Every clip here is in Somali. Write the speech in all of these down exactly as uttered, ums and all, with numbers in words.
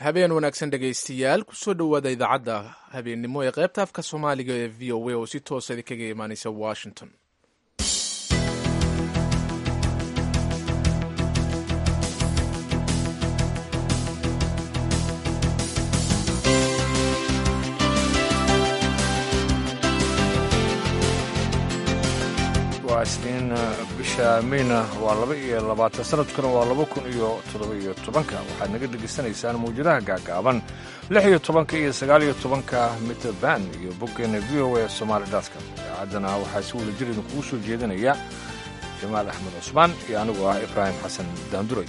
Habeen wanaagsan, dhegaystayaal. Kusoo dhowaada idaacadda habeennimo ee qaybta afka Soomaaliga ee V O A oo si toosa idinkaga imaaneysa Washington. Waa Isniin, bisha Meyna waa laba iyo labaatan, sanadkuna waa laba kun iyo toddoba iyo tobanka. Waxaad naga dhegaysanaysaan mawjadaha gaagaaban, lix iyo tobanka iyo sagaal iyo tobanka mitirban, iyo boggeena V O A Somaali dot com. Idaacaddana waxaa si wada jir idinkugu soo jeedinaya Jamaal Axmed Cusmaan iyo anigu ah Ibraahim Xasan Daanduray.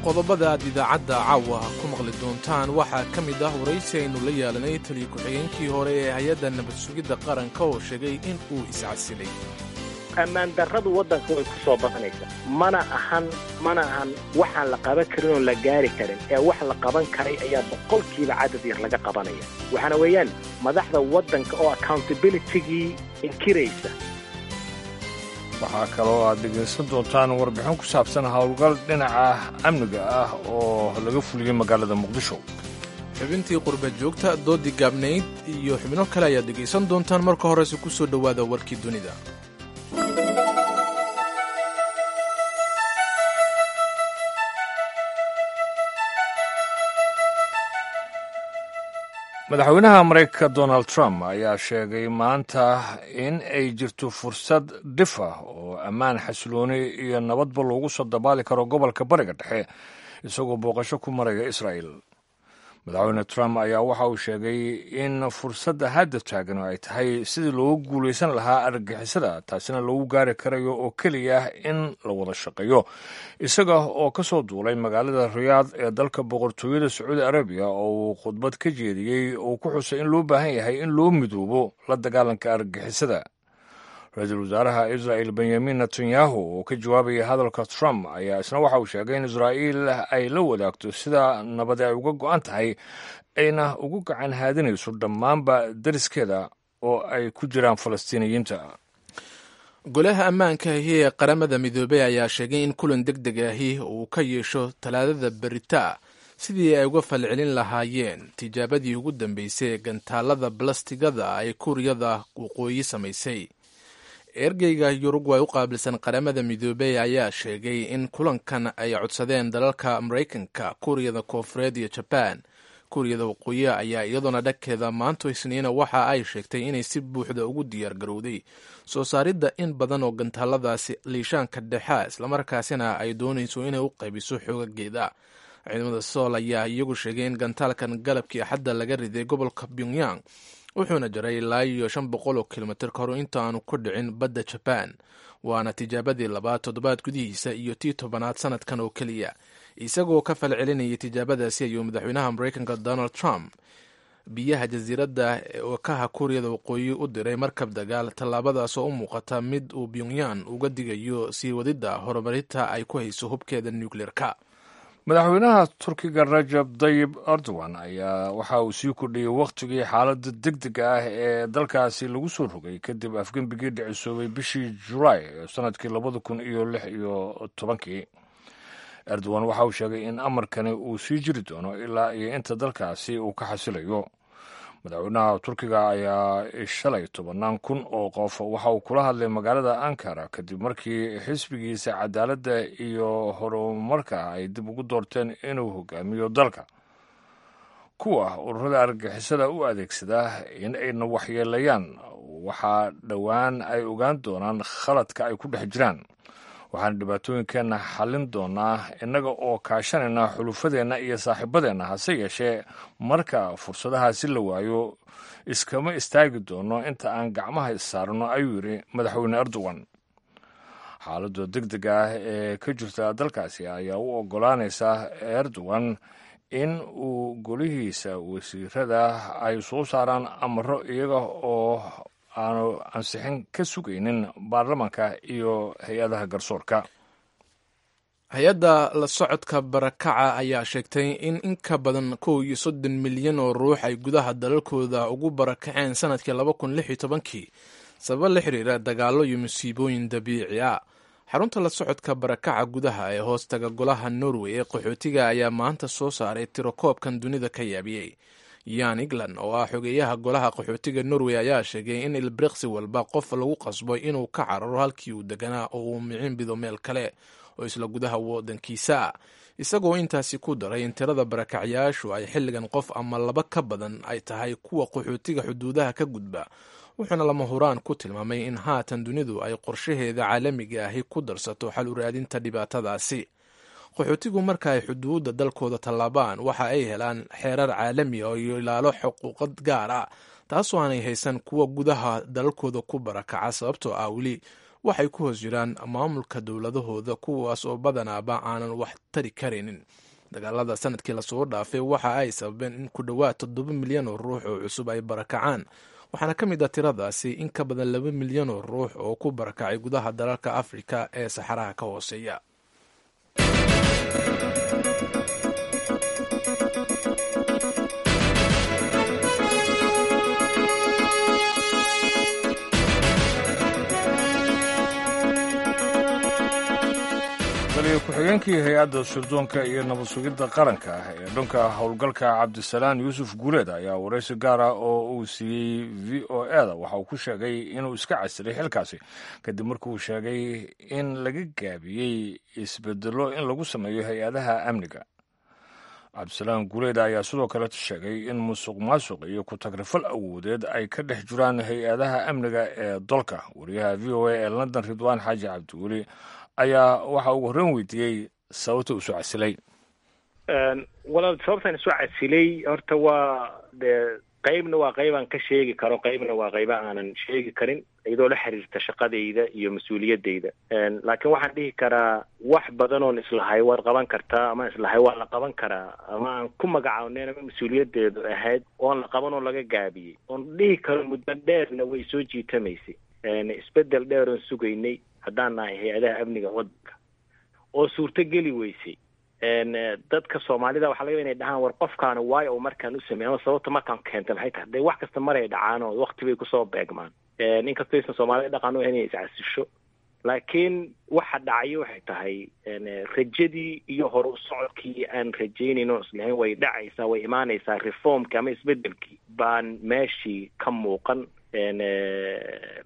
Qodobada aad idaacadda caawa ku maqli doontaan waxaa ka mid ah waraysi aynu la yeelanay taliya ku-xigeenkii hore ee hay-adda nabad sugidda qaranka oo sheegay in uu iscasilay. Ammaan darradu waddanka way ku soo badanaysaa. Mana ahan mana ahan waxaan la qaban karin oon la gaari karin, ee wax la qaban karay ayaa boqolkiiba cadad yar laga qabanaya. Waxaana weeyaan madaxda waddanka oo accountabilitygii inkiraysa. Waxaa kaloo aad dhegaysan doontaan warbixin ku saabsan howlgal dhinaca amniga ah oo laga fuliyey magaalada Muqdisho. Xubintii qurba joogta, doodii gaabnayd iyo xubno kale ayaad dhegaysan doontaan. Marka horese ku soo dhowaada warkii dunida. Madaxweynaha Maraykanka Donald Trump ayaa sheegay maanta in ay jirto fursad dhif ah oo ammaan, xasilooni iyo nabadba loogu soo dabaali karo gobolka Bariga Dhexe, isagoo booqasho ku maraya Israa'el. Madaxweyne Trump ayaa waxa uu sheegay in fursadda hadda taagan ay tahay sidii loogu guulaysan lahaa argagixisada, taasina loogu gaari karayo oo keliya in la wada shaqeeyo. Isaga oo ka soo duulay magaalada Riyaad ee dalka Boqortooyada Sacuudi Arabiya oo uu khudbad ka jeediyey oo ku xusay in loo baahan yahay in loo midoobo la dagaalanka argagixisada. Ra-iisul wasaaraha Israa'el Benyamin Netanyahu oo ka jawaabaya hadalka Trump ayaa isna waxa uu sheegay in Israa'iil ay la wadaagto sida nabadi ay uga go'an tahay, ayna ugu gacan haadinayso dhammaanba dariskeeda oo ay ku jiraan Falastiiniyiinta. Golaha ammaanka ahi ee Qaramada Midoobey ayaa sheegay in kulan deg deg ahi uu ka yeesho Talaadada berita sidii ay uga falcelin lahaayeen tijaabadii ugu dambeysay ee gantaalada balastigada ay Kuuriyada Waqooyi samaysay. Ergeyga Yurugway u qaabilsan Qaramada Midoobey ayaa sheegay in kulankan ay codsadeen dalalka Maraykanka, Kuuriyada Koonfureed iyo Jabaan. Kuuriyada Waqooyi ayaa iyadoona dhagkeeda maanto Isniina waxa ay sheegtay inay si buuxda ugu diyaar garowday soo saaridda in badan oo gantaaladaasi liishaanka dhexa, islamarkaasina ay doonayso inay u qaybiso xoogageeda. Ciidamada Sool ayaa iyagu sheegay in gantaalkan galabkii Axadda laga riday gobolka Pyongyang, wuxuuna jaray ilaa iyo shan boqol oo kilomitir kahor inta aanu ku dhicin badda Jabaan. Waana tijaabadii labaad toddobaad gudihiisa iyo tii tobanaad sanadkan oo keliya. Isagoo ka falcelinayay tijaabadaasi ayuu madaxweynaha Maraykanka Donald Trump biyaha jasiiradda wakaha Kuuriyada Waqooyi u diray markab dagaal, tallaabadaas oo u muuqata mid uu Pyongyang uga digayo sii wadidda horumarinta ay ku hayso hubkeeda nucleerka. Madaxweynaha Turkiga Rajab Dayib Erdogan ayaa waxa uu sii kordhiyey wakhtigii xaaladda degdega ah ee dalkaasi lagu soo rogay kadib afgembigii dhicisoobay bishii Julaay ee sanadkii labada kun iyo lix iyo tobankii. Erdogan waxa uu sheegay in amarkani uu sii jiri doono ilaa iyo inta dalkaasi uu ka xasilayo. Madaxweynaha Turkiga ayaa shalay tobannaan kun oo qof waxa uu kula hadlay magaalada Ankara kadib markii xisbigiisa Cadaaladda iyo Horumarka ay dib ugu doorteen inuu hogaamiyo dalka. Kuwa ururada argagixisada u adeegsada in ayna waxyeelayaan waxaa dhowaan ay ogaan doonaan khaladka ay ku dhex jiraan. Waxaan dhibaatooyinkeenna xallin doonaa innaga oo kaashanayna xulufadeenna iyo saaxiibadeenna, hase yeeshee marka fursadahaasi la waayo iskama istaagi doono inta aan gacmaha issaarno, ayuu yidhi madaxweyne Erdogan. Xaaladda degdega ah ee ka jirta dalkaasi ayaa u oggolaanaysa Erdogan in uu golihiisa wasiirada ay soo saaraan amaro iyaga oo aanu ansixin ka sugaynin baarlamanka iyo hay-adaha garsoorka. Hay-adda la socodka barakaca ayaa sheegtay in in ka badan kow iyo soddon milyan oo ruux ay gudaha dalalkooda ugu barakaceen sanadkii laba kun lix iyo tobankii sababo la xiriira dagaallo iyo musiibooyin dabiici ah. Xarunta la socodka barakaca gudaha ee hoostaga golaha Norway ee qaxootiga ayaa maanta soo saaray tiro koobkan dunida ka yaabiyey. Yan England oo ah xogeeyaha golaha qaxootiga Norway ayaa sheegay in ilbiriqsi walba qof lagu qasbo inuu ka cararo halkii uu deganaa oo uu micin bido meel kale oo isla gudaha waddankiisa ah, isagoo intaasi ku daray in tirada barakacyaashu ay xilligan qof ama laba ka badan ay tahay kuwa qaxootiga xuduudaha ka gudba. Wuxuuna lama huraan ku tilmaamay in haatan dunidu ay qorshaheeda caalamiga ahi ku darsato xal u raadinta dhibaatadaasi. Qaxootigu marka ay xuduudda dalkooda tallaabaan, waxa ay helaan xeerar caalami ah iyo ilaalo xuquuqad gaar ah, taasoo aanay haysan kuwa gudaha dalalkooda ku barakaca, sababtoo ah weli waxay ku hoos jiraan maamulka dowladahooda, kuwaas oo badanaaba aanan wax tari karaynin. Dagaalada sanadkii lasoo dhaafay waxa ay sababeen in ku dhowaad toddoba milyan oo ruux oo cusub ay barakacaan, waxaana ka mid ah tiradaasi in ka badan laba milyan oo ruux oo ku barakacay gudaha dalalka Afrika ee saxaraha ka hooseeya. Taliya ku-xigeenkii hay-adda sirdoonka iyo nabad sugidda qaranka ee dhanka howlgalka, Cabdisalaan Yuusuf Guuleed, ayaa waraysi gaar ah oo uu siiyey V O E da waxa uu ku sheegay inuu iska casilay xilkaasi kadib markuu sheegay in laga gaabiyey isbedelo in lagu sameeyo hay-adaha amniga. Cabdisalaan Guuleed ayaa sidoo kale sheegay in musuq maasuq iyo ku-tagrifal awoodeed ay ka dhex jiraan hay-adaha amniga ee dalka. Wariyaha V O A ee London, Ridwaan Xaaji Cabdiweli, ayaa waxa ugu horreyn weydiiyey sababta uu soo casilay. Walaal, sababtaan isu casilay horta waa dee qaybna waa qaybaan ka sheegi karo, qaybna waa qayba aanan sheegi karin, iyadoo la xiriirta shaqadayda iyo mas-uuliyadayda. Laakiin waxaan dhihi karaa wax badan oon islahay waad qaban kartaa ama islahay waa la qaban karaa ama aan ku magacaawneyn ama mas-uuliyadeedu ahayd oon la qaban oo laga gaabiyey, oon dhihi karo muddo dheerna way soo jiitamaysay, isbedel dheer oon sugaynay haddaan nahay hay-adaha amniga waddanka oo suurto geli weysay. Dadka Soomaalida waxaa laga yaba inay dhahaan, "War, qofkaana waayo uu markaan u sameey ama sababta markaan keenta maxay tahay?" Dee wax kasta maray dhacaan oo wakti bay kusoo beegmaan, inkastoo aysan Soomaalida dhaqan u ahayn inay iscasisho. Laakiin waxa dhacayo waxay tahay rajadii iyo hor u socodkii aan rajaynayn oo islahayn way dhacaysaa, way imaanaysaa, reformkii ama isbedelkii baan meeshii ka muuqan,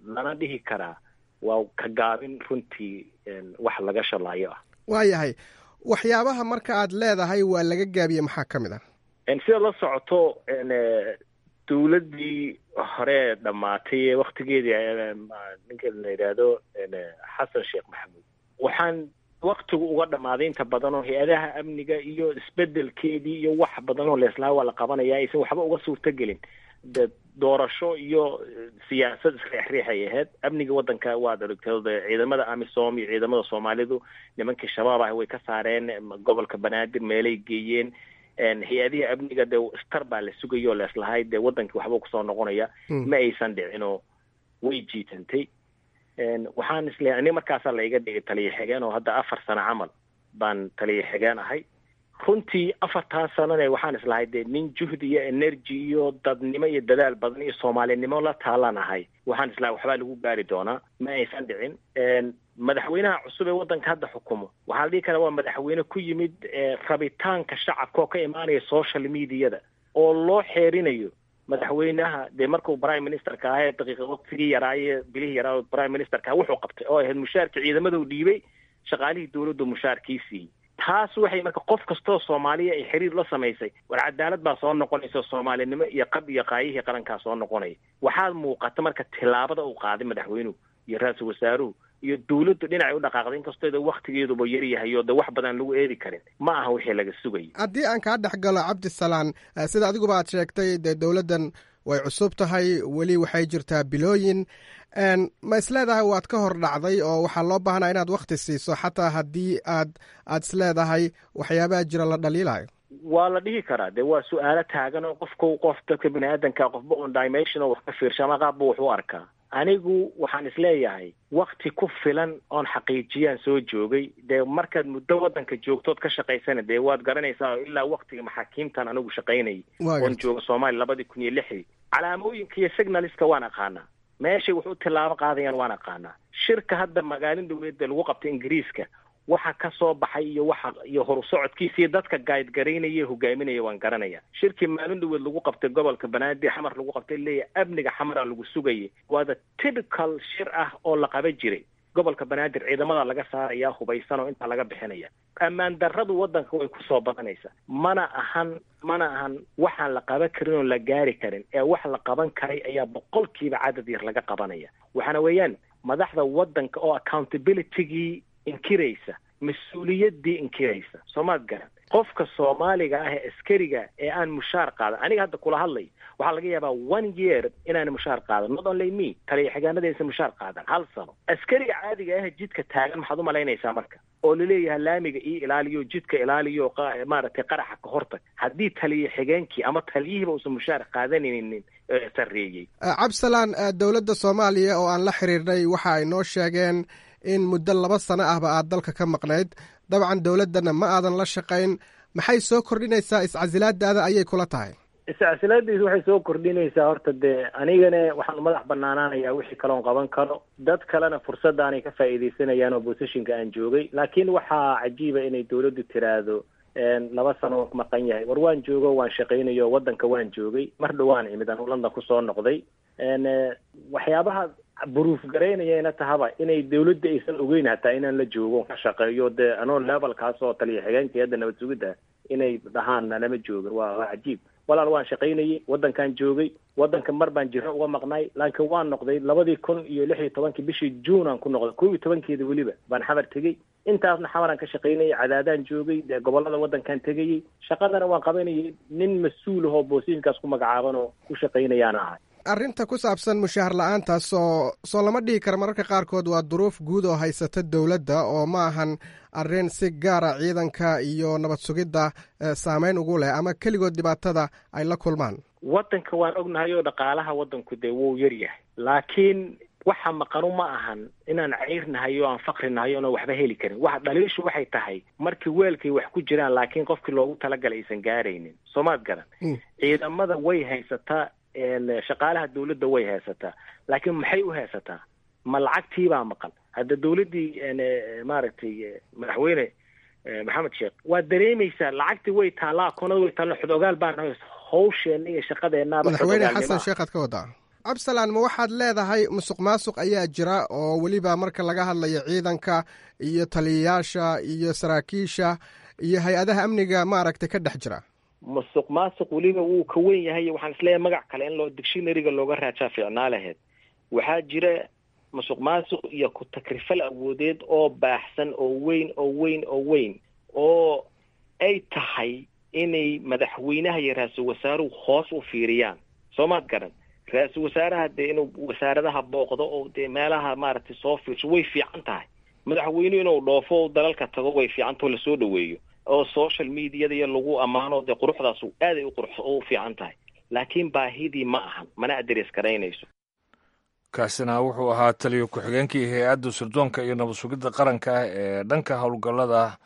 lana dhihi karaa waa ka gaabin runtii wax laga shalaayo ah. Waayahay, waxyaabaha marka aad leedahay waa laga gaabiyey maxaa ka mid ah? Sida la socoto, dowladdii hore dhammaatay ee waktigeedii ninka la yidhaahdo Xasan Sheekh Maxamuud, waxaan waktigu uga dhammaaday inta badan oo hay-adaha amniga iyo isbedelkeedii iyo wax badan oo leeslaha waa la qabanaya aysan waxba uga suurtogelin. De doorasho iyo siyaasad isriixriixay ahayd. Amniga waddanka waad aragtay, ciidamada AMISOM iyo ciidamada Soomaalidu nimankii Shabaab ah way ka saareen gobolka Banaadir, meelay geeyeen. Hay-adihii amniga dee star baa la sugayo oo leeslahay dee waddankii waxba kusoo noqonaya, ma aysan dhicinoo way jiitantay. Waxaan isleeyahay ani markaasaa la iga dhigay taliya xigeen oo hadda afar sano camal baan taliya xigeen ahay. Runtii afartaa sanane waxaan islahay dee nin juhdi iyo energy iyo dadnimo iyo dadaal badan iyo Soomaalinimo la taalaan ahay, waxaan islahay waxbaa lagu gaari doonaa. Ma aysan dhicin. Madaxweynaha cusub ee waddanka hadda xukumo waxaa la dhihi karaa waa madaxweyne ku yimid rabitaanka shacabka oo ka imaanaya social mediada oo loo xeerinayo. Madaxweynaha dee markuu prime ministerka ahaa ee daqiiqa waqtigii yaraaye, bilihii yaraa prime ministerka, wuxuu qabtay oo ahayd mushaarkii ciidamaduu dhiibay, shaqaalihii dowladdu mushaarkii siiyey. Taas waxay marka qof kastoo Soomaaliya ay xiriir la samaysay, war cadaalad baa soo noqonaysa, Soomaalinimo iyo qab iyo qaayihii qarankaa soo noqonaya. Waxaa muuqata marka tilaabada uu qaaday madaxweynuhu iyo ra-iisul wasaaruhu iyo dowladdu dhinacay u dhaqaaqday, inkastoo de waktigeeduba yar yahay oo de wax badan lagu eedi karin, ma aha wixii laga sugayay. Haddii aan kaa dhex galo, Cabdisalaan, sida adiguba aad sheegtay, dee dowladdan way cusub tahay, weli waxay jirtaa bilooyin. Ma isleedahay waad ka hor dhacday oo waxaa loo baahnaa inaad wakti siiso, xataa haddii aad aad isleedahay waxyaabaha jira la dhaliilayo? Waa la dhihi karaa. Dee waa su-aalo taagan oo qofku qof dadka bini aadanka qofba on dimension oo wax ka fiirsha ama qaabba wax u arkaa. Anigu waxaan isleeyahay wakti ku filan oon xaqiijiyaan soo joogay. Dee markaad muddo waddanka joogtood ka shaqaysana dee waad garanaysaa, ilaa waktiga maxaakiimtan anigu shaqaynayay oon jooga Soomaaliya labadii kun iyo lixdii, calaamooyinka iyo signalska waan aqaanaa, meeshay wax u tilaabo qaadayaan waan aqaanaa. Shirka hadda magaalin dowladda lagu qabtay Ingiriiska waxa ka soo baxay iyo waxa iyo horu socodkiisa iyo dadka guide garaynaya hogaaminaya waan garanaya. Shirkii maalin dhaweed lagu qabtay gobolka Banaadir Xamar lagu qabtay, leeyahay amniga Xamara lagu sugayay, waa the typical shir ah oo la qaban jiray. Gobolka Banaadir ciidamada laga saaraya hubaysan oo intaa laga bixinaya. Ammaan darradu waddanka way kusoo badanaysaa, mana ahan mana ahan waxaan la qaban karin oo la gaari karin, ee wax la qaban karay ayaa boqolkiiba cadad yar laga qabanaya. Waxaana weeyaan madaxda waddanka oo accountability-gii inkiraysa, mas-uuliyaddii inkiraysa. Soomaad garan qofka Soomaaliga ah ee askariga ee aan mushaar qaadan, aniga hadda kula hadlay waxaa laga yaabaa one year inaan mushaar qaadan, not only me, taliya xigaanada aysan mushaar qaadan hal sano. Askariga caadiga ah jidka taagan maxaad u malaynaysaa marka oo laleeyahay laamiga io ilaaliyo, jidka ilaaliyo, maaragtay qaraxa ka hortag, haddii taliya xigeenkii ama taliyihiiba uusan mushaar qaadanaynin sarreeyey. Cabdisalaan, dowladda Soomaaliya oo aan la xiriirnay waxa ay noo sheegeen in muddo laba sano ahba aad dalka ka maqnayd, dabcan dowladdana ma aadan la shaqayn. Maxay soo kordhinaysaa iscasilaadaada ayay kula tahay? Iscasilaadaysu waxay soo kordhinaysaa horta dee anigana waxaan madax banaanaanayaa wixii kaloon qaban karo, dad kalena fursadaanay ka faa'iidaysanayaan oo bosishinka aan joogay. Laakiin waxaa cajiiba inay dowladdu tiraahdo laba sano maqan yahay. War waan joogo, waan shaqaynayo, waddanka waan joogay, mar dhowaan imid anuu London kusoo noqday. Waxyaabaha buruuf garaynayana tahaba inay dowladda aysan ogeyn hataa inaan la joogo ka shaqeeyo, dee anoo levelkaas oo taliya xigeenka hadda nabad sugidda inay dhahaan lama joogin, waa waa cajiib. Walaal waan shaqaynayay, waddankaan joogay, waddanka mar baan jiro uga maqnay, laakiin waan noqday labadii kun iyo lix iyo tobankii bishii June aan ku noqday, kow iyo tobankeeda weliba baan Xamar tegey. Intaasna Xamaraan ka shaqaynayay, Cadaadaan joogay, dee gobollada waddankaan tegayey, shaqadana waan qabanayay, nin mas-uul ahoo boosiinkaas ku magacaaban oo ku shaqaynayaana ahay. Arrinta ku saabsan mushaahar la-aantaas oo soo lama dhihi karo mararka qaarkood waa duruuf guud oo haysata dowladda, oo ma ahan arrin si gaara ciidanka iyo nabad sugidda saameyn ugu leh ama keligood dhibaatada ay la kulmaan. Waddanka waan ognahay oo dhaqaalaha waddanku dee wuu yar yahay, laakiin waxa maqanu ma ahan inaan cayrnahay oo aan faqrinahay oona waxba heli karin. Waxa dhaliishu waxay tahay markii weelkay wax ku jiraan laakiin qofkii loogu talagalay aysan gaaraynin. Soomaad garan, ciidamada way haysataa, shaqaalaha dowladda way haysataa, laakiin maxay u haysataa? Ma lacagtiibaa maqan? Hadda dowladdii maaragtay madaxweyne Maxamed Sheekh waad dareemaysaa lacagtii way taallaa, akoonada way taallaa, xodogaal baan nahay, hawsheenna iyo shaqadeennaaba. Madaxweyne Xasan Sheekh aad ka wadaa, Cabdisalaan, ma waxaad leedahay musuq maasuq ayaa jira oo weliba marka laga hadlayo ciidanka iyo taliyayaasha iyo saraakiisha iyo hay-adaha amniga maaragtay ka dhex jira? Musuq maasuq weliba wuu ka weyn yahay. Waxaan isleeyahay magac kale in loo dictionaryga looga raajaa fiicnaa lahayd. Waxaa jira musuq maasuq iyo ku-takrifal awoodeed oo baaxsan oo weyn oo weyn oo weyn oo ay tahay inay madaxweynaha iyo ra-iisul wasaaruhu hoos u fiiriyaan. Soomaad garan, ra-iisul wasaaraha dee inuu wasaaradaha booqdo oo dee meelaha maaragtay soo fiirsho way fiican tahay. Madaxweynuhu inuu dhoofo oo dalalka tago way fiican taho, lasoo dhaweeyo oo social mediada iyo lagu ammaano, dee quruxdaasu aaday u qurux u fiican tahay, laakiin baahidii ma ahan, mana aderes garaynayso. Kaasina wuxuu ahaa taliyo ku-xigeenkii hay-adda sirdoonka iyo nabad sugidda qaranka ee dhanka howlgallada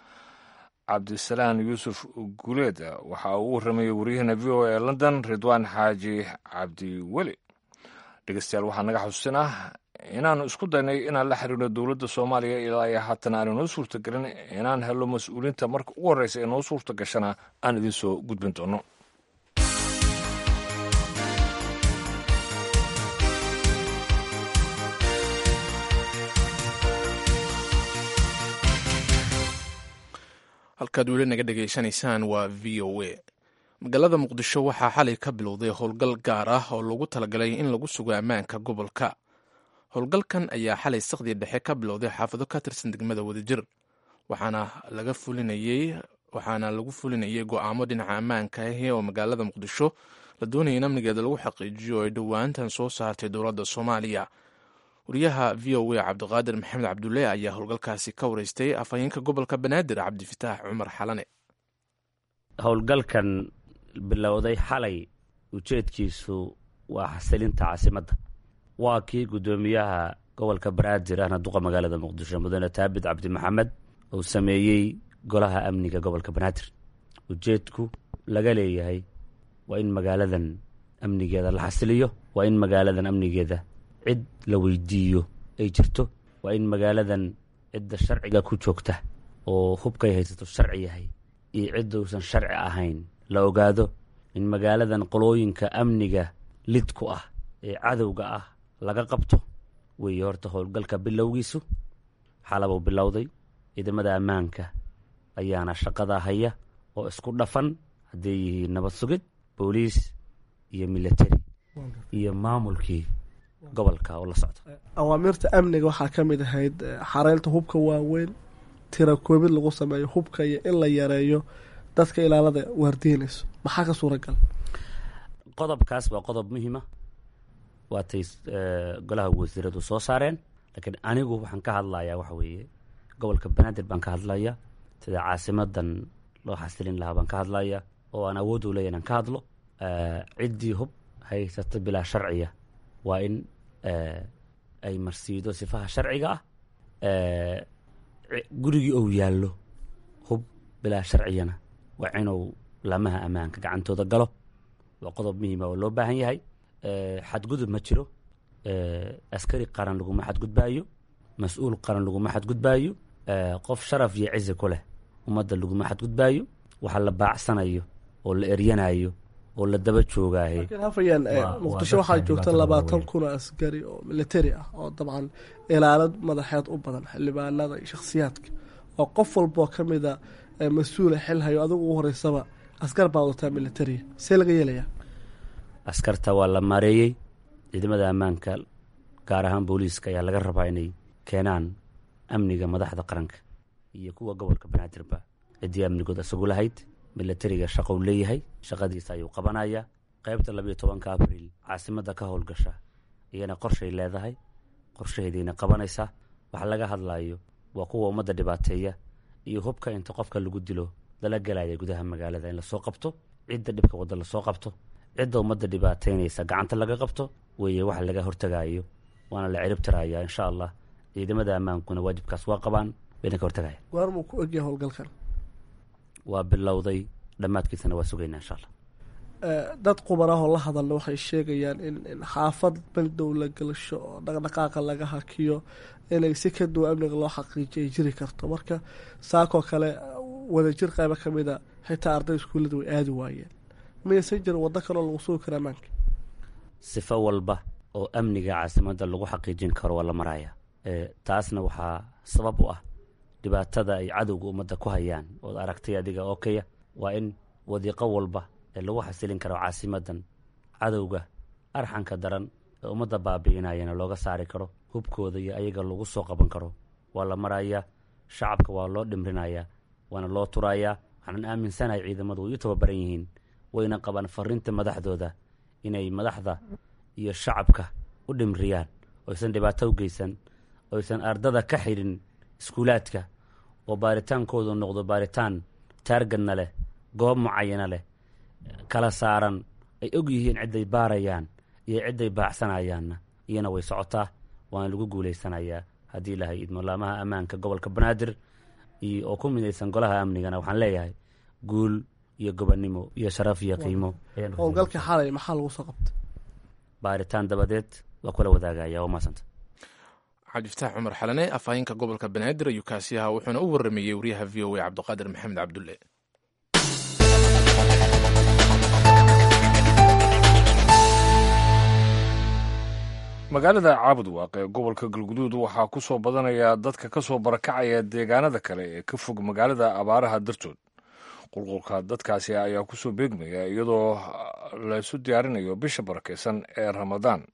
Cabdisalaan Yuusuf Guleed. Waxa uu u warramayey waryaheena V O A ee London, Ridwaan Xaaji Cabdiweli. Dhegeystayaal, waxaa naga xusuusinah inaannu isku daynay inaan la xiriirno dowladda Soomaaliya, ilaa iyo haatan aanu noo suurtagelin inaan helo mas-uuliinta. Marka ugu horreysa ee noo suurta gashana aan idiin soo gudbin doono. Halkaad weli naga dhegaysanaysaan waa V O A. Magaalada Muqdisho waxaa xalay ka bilowday howlgal gaar ah oo loogu talagalay in lagu sugo ammaanka gobolka. Howlgalkan ayaa xalay saqdii dhexe ka bilowday xaafado ka tirsan degmada Wadajir, waxaana laga fulinayey waxaana lagu fulinayay go'aamo dhinaca ammaanka ahi oo magaalada Muqdisho la doonaya in amnigeeda lagu xaqiijiyo oo ay dhowaantan soo saartay dowladda Soomaaliya. Wariyaha V O A Cabdiqaadir Maxamed Cabdulle ayaa howlgalkaasi ka wareystay afhayeenka gobolka Banaadir, Cabdifitaax Cumar Xalane. Howlgalkan bilowday xalay ujeedkiisu waa xasilinta caasimadda. Waa kii guddoomiyaha gobolka Banaadir ahna duqa magaalada Muqdisho, mudane Taabid Cabdi Maxamed, uu sameeyey golaha amniga gobolka Banaadir. Ujeedku laga leeyahay waa in magaaladan amnigeeda la xasiliyo, waa in magaaladan amnigeeda cid la weydiiyo ay jirto, waa in magaaladan cidda sharciga ku joogta oo hubkay haysato sharci yahay iyo cidda uusan sharci ahayn la ogaado, in magaaladan qolooyinka amniga lid ku ah ee cadowga ah laga qabto weeye. Horta howlgalka bilowgiisu xalabuu bilowday. Ciidamada ammaanka ayaana shaqada haya oo isku dhafan, hadday yihiin nabad sugid, booliis iyo military iyo maamulkii gobolka oo la socda. Awaamirta amniga waxaa ka mid ahayd xareynta hubka waaweyn, tira koobid lagu sameeyo hubka iyo in la yareeyo dadka ilaalada waardiinayso. Maxaa ka suuragal? Qodobkaas waa qodob muhiima, waatay golaha wasiiradu soo saareen. Laakiin anigu waxaan ka hadlayaa waxa weeye gobolka Banaadir baan ka hadlaya, sida caasimadan loo xasilin lahaa baan ka hadlaya, oo aan awood u leeyahy inaan ka hadlo. Ciddii hub haysata bilaa sharciya waa in ay marsiido sifaha sharciga ah. Gurigii ou yaallo hub bilaa sharciyana waa inuu laamaha ammaanka gacantooda galo. Waa qodob muhiima oo loo baahan yahay. Xadgudub ma jiro. Askari qaran laguma xadgudbaayo, mas-uul qaran laguma xadgudbaayo, qof sharaf iyo cizi ku leh ummadda laguma xadgudbaayo. Waxa la baacsanayo oo la eryanayo oo la daba joogaaye Laakiin hafayaan, Muqdisho waxaa joogta labaatan kun oo askari oo military ah oo dabcan ilaalad madaxeed u badan xildhibaanada iyo shakhsiyaadka, oo qof walboo ka mida mas-uula xil hayo, adigu ugu horeysaba askar baa wadataa militariya. See laga yeelayaa? Askarta waa la maareeyey. Ciidamada ammaanka, gaar ahaan booliiska, ayaa laga rabaa inay keenaan amniga madaxda qaranka iyo kuwa gobolka Banaadirba ciddii amnigood isagu lahayd. Milatariga shaqou leeyahay, shaqadiisa ayuu qabanayaa. Qaybta labiyo tobanka Abriil caasimadda ka howlgasha iyana qorshay leedahay, qorshaheediina qabanaysaa. Waxa laga hadlayo waa kuwa ummadda dhibaateeya iyo hubka inta qofka lagu dilo lala gelaya gudaha magaalada in lasoo qabto, cidda dhibka wadda lasoo qabto, cidda ummadda dhibaateynaysa gacanta laga qabto weeye waxa laga hortagayo, waana la cirib tirayaa insha Allah. Ciidamada ammaankuna waajibkaas waa qabaan, wayna ka hortagaya. Goormuu ku egyahay howlgalkan? Waa bilowday, dhammaadkiisana waa sugaynaa insha Allah. Dad qubarahoo la hadalna waxay sheegayaan in in xaafad bandow la gelasho oo dhaqdhaqaaqa laga hakiyo inay si ka duwan amniga loo xaqiijiyo ay jiri karto. Marka saakoo kale wadajir qaybo ka mida xitaa arday iskuullada way aadi waayeen. Miyaysan jirin waddo kaloo lagu sugi kara ammaanka? Sifo walba oo amniga caasimadda lagu xaqiijin karo waa la maraya. Taasna waxaa sabab u ah dhibaatada ay cadowga ummadda ku hayaan ood aragtay adiga oo kaya. Waa in wadiiqo walba ee lagu xasilin karo caasimadan cadowga arxanka daran ee ummadda baabi'inayana looga saari karo, hubkooda iyo ayaga lagu soo qaban karo waa la marayaa. Shacabka waa loo dhimrinayaa, waana loo turayaa. Waxaanan aaminsanahay ciidamadu way u tababaran yihiin, wayna qabaan fariinta madaxdooda inay madaxda iyo shacabka u dhimriyaan, oysan dhibaato u geysan, oysan ardada ka xidhin iskuulaadka, oo baaritaankoodu noqdo baaritaan taargadna leh, goob mucayana leh, kala saaran, ay og yihiin cidday baarayaan iyo cidday baacsanayaanna. Iyana way socotaa, waana lagu guulaysanayaa haddii Ilaahay idmo. Laamaha ammaanka gobolka Banaadir iyo oo ku midaysan golaha amnigana waxaan leeyahay guul iyo gobonnimo iyo sharaf iyo qiimo. Howlgalka xalay maxaa lagu soo qabtay? Baaritaan dabadeed waa kula wadaagaya. Waa maasanta. Cabdifataax Cumar Xalane, afhayeenka gobolka Banaadir ayuu kaasi ahaa, wuxuuna u waramayey wariyaha V O A Cabdiqaadir Maxamed Cabdulle. Magaalada Caabudwaaq ee gobolka Galguduud waxaa ku soo badanaya dadka ka soo barakacaya deegaanada kale ee ka fog magaalada abaaraha dartood. Qulqulka dadkaasi ayaa ku soo beegmaya iyadoo laysu diyaarinayo bisha barakeysan ee Ramadaan.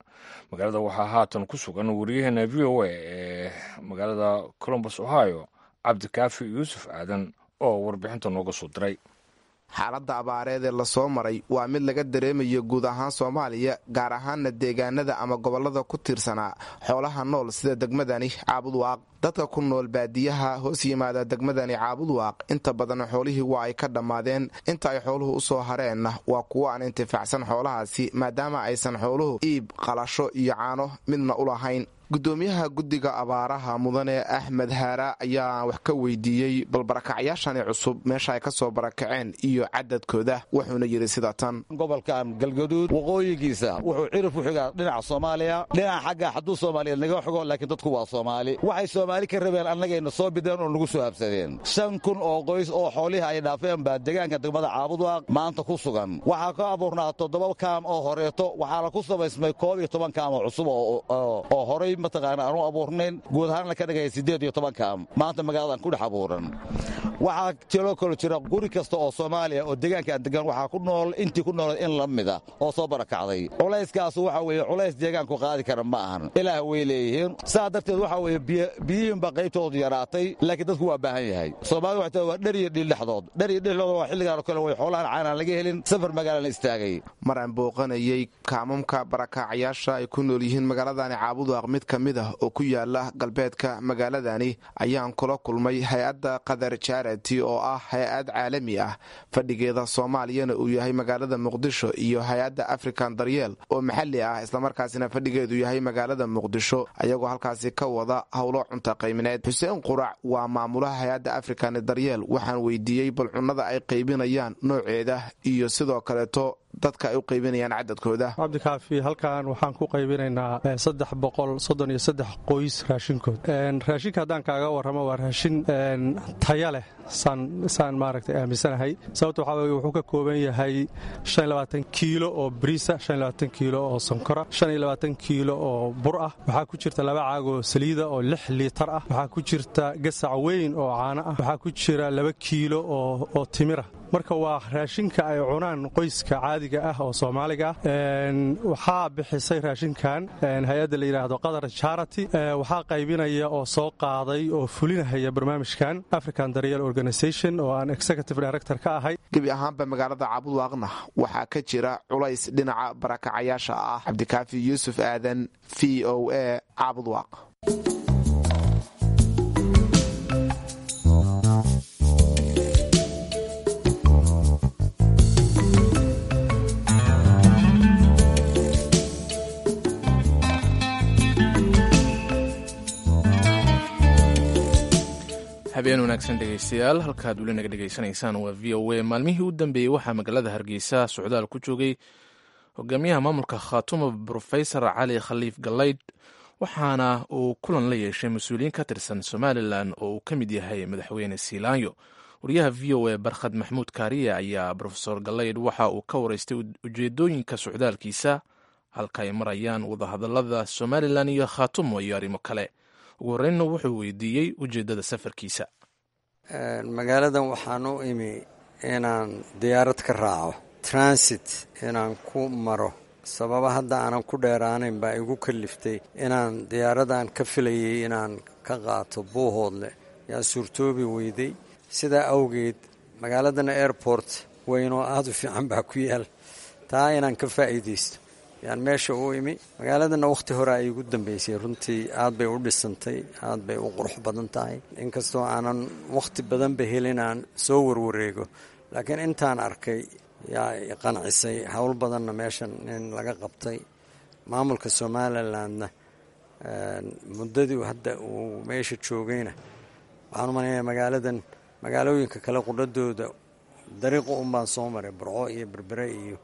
Magaalada waxaa haatan ku sugan wariyaheena V O A ee magaalada Columbus, Ohio, Cabdikaafi Yuusuf Aadan oo warbixinta nooga soo diray. Xaaladda abaareed ee lasoo maray waa mid laga dareemayo guud ahaan Soomaaliya, gaar ahaana deegaanada ama gobollada ku tiirsanaa xoolaha nool sida degmadani Caabudwaaq. Dadka ku nool baadiyaha hoos yimaada degmadani Caabudwaaq inta badan xoolihii waa ay ka dhammaadeen. Inta ay xooluhu usoo hareenna waa kuwo aan intifaacsan xoolahaasi, maadaama aysan xooluhu iib, qalasho iyo caano midna u lahayn. Gudoomiyaha guddiga abaaraha mudane Axmed Haara ayaa wax ka weydiiyey bal barakacyaashani cusub meesha ay ka soo barakaceen iyo cadadkooda, wuxuuna yidhi sida tan. Gobolkan Galgaduud waqooyigiisa wuxuu cirif u xigaa dhinaca Soomaaliya, dhinaca xagga xaduu Soomaaliyeed naga xigo, laakiin dadku waa Soomaali. Waxay Soomaali ka rabeen annagayna soo bideen oo nagu soo habsadeen. Shan kun oo qoys oo xoolihii ay dhaafeen baa deegaanka degmada Caabudwaaq maanta ku sugan. Waxaa ka abuurnaa toddoba kaam oo horeeto, waxaana ku samaysmay koob iyo toban kaam oo cusub oo horay mataqaana aanu abuurnayn, guud ahaanna ka dhigaya siddeed iyo toban kaam maanta magaaladan ku dhex abuuran. Waxaa jiloo kalo jira guri kasta oo Soomaaliya oo deegaanka aan degan waxaa ku nool intii ku nool in la mida oo soo barakacday. Culayskaas waxa weeye culays deegaanku qaadi kara ma ahan, ilaah way leeyihiin. Saa darteed waxa weeye biyihiinba qaybtoodu yaraatay, laakiin dadku waa baahan yahay. Soomaalida waxay tahay waa dher iyo dhiil dhexdood, dher iyo dhexdood waa xilligaan oo kale way xoolahan caanaan laga helin, safar magaalana istaagay. Mar aan booqanayay kaamamka barakaacayaasha ay ku nool yihiin magaaladani Caabudwaaq mid ka mid ah oo ku yaala galbeedka magaaladani ayaan kula kulmay hay-adda Qadar Charity oo ah hay-ad caalami ah, fadhigeeda Soomaaliyana uu yahay magaalada Muqdisho, iyo hay-adda African Daryeel oo maxalli ah islamarkaasina fadhigeedu yahay magaalada Muqdisho, ayagoo halkaasi ka wada howlo cunta qaybineed. Xuseen Qurac waa maamulaha hay-adda African Daryeel. Waxaan weydiiyey bal cunnada ay qaybinayaan nooceeda iyo sidoo kaleeto dadka ay u qaybinayaan cadadkooda. Cabdikaafi, halkan waxaan ku qaybinaynaa saddex boqol soddon iyo saddex qoys raashinkood. Raashinka haddaan kaaga warramo waa raashin taya leh, saan saan maaragtay aaminsanahay. Sababta waxaa weye wuxuu ka kooban yahay shan iyo labaatan kiilo oo bariisa, shan iyo labaatan kiilo oo sonkora, shan iyo labaatan kiilo oo bur ah. Waxaa ku jirta laba caag oo saliida oo lix liitar ah. Waxaa ku jirta gasac weyn oo caano ah. Waxaa ku jira laba kiilo oo oo timira. Marka waa raashinka ay cunaan qoyska caadiga ah oo Soomaaliga ah. Waxaa bixisay raashinkan hay-adda la yidhaahdo Qatar Charity. Waxaa qaybinaya oo soo qaaday oo fulinahaya barnaamijkan African Daryeel Organization oo aan executive director ka ahay. Gebi ahaanba magaalada Caabudwaaqna waxaa ka jira culays dhinaca barakacayaasha ah. Cabdikaafi Yuusuf Aadan, V O A, Caabudwaaq. Habeen wanaagsan dhegeystayaal, halkaad weli naga dhegeysanaysaan waa V O A. Maalmihii u dambeeyey waxaa magaalada Hargeysa socdaal ku joogay hogaamiyaha maamulka Khaatuma Brofesor Cali Khaliif Galaydh, waxaana uu kulan la yeeshay mas-uuliyiin ka tirsan Somalilan oo uu ka mid yahay madaxweyne Siilaanyo. Wariyaha V O A Barkhad Maxmuud Kaariye ayaa Brofesor Galaydh waxa uu ka wareystay ujeedooyinka socdaalkiisa, halka ay marayaan wadahadalada Somalilan iyo Khaatumo iyo arrimo kale. Ugu horreynna wuxuu weydiiyey ujeeddada safarkiisa. Magaaladan waxaan u imi inaan diyaarad ka raaco, transit inaan ku maro. Sababa hadda aanan ku dheeraanayn baa igu kaliftay inaan diyaaradan ka filayay inaan ka qaato Buuhoodle yaa suurtoobi weyday. Sidaa awgeed magaaladana airport weyn oo aada u fiican baa ku yaal, taa inaan ka faa'iidaysto yaan meesha u imi. Magaaladana wakhti hore ay igu dambeysay, runtii aad bay u dhisantay, aad bay u qurux badan tahay. Inkastoo aanan wakhti badanba helin aan soo warwareego, laakiin intaan arkay yaa i qancisay. Howl badanna meeshan in laga qabtay. Maamulka Somalilandna muddadii hadda uu meesha joogayna waxaan u maleynayaa magaaladan magaalooyinka kale qudhadooda dariiqo unbaan soo maray, Burco iyo Berbere iyo,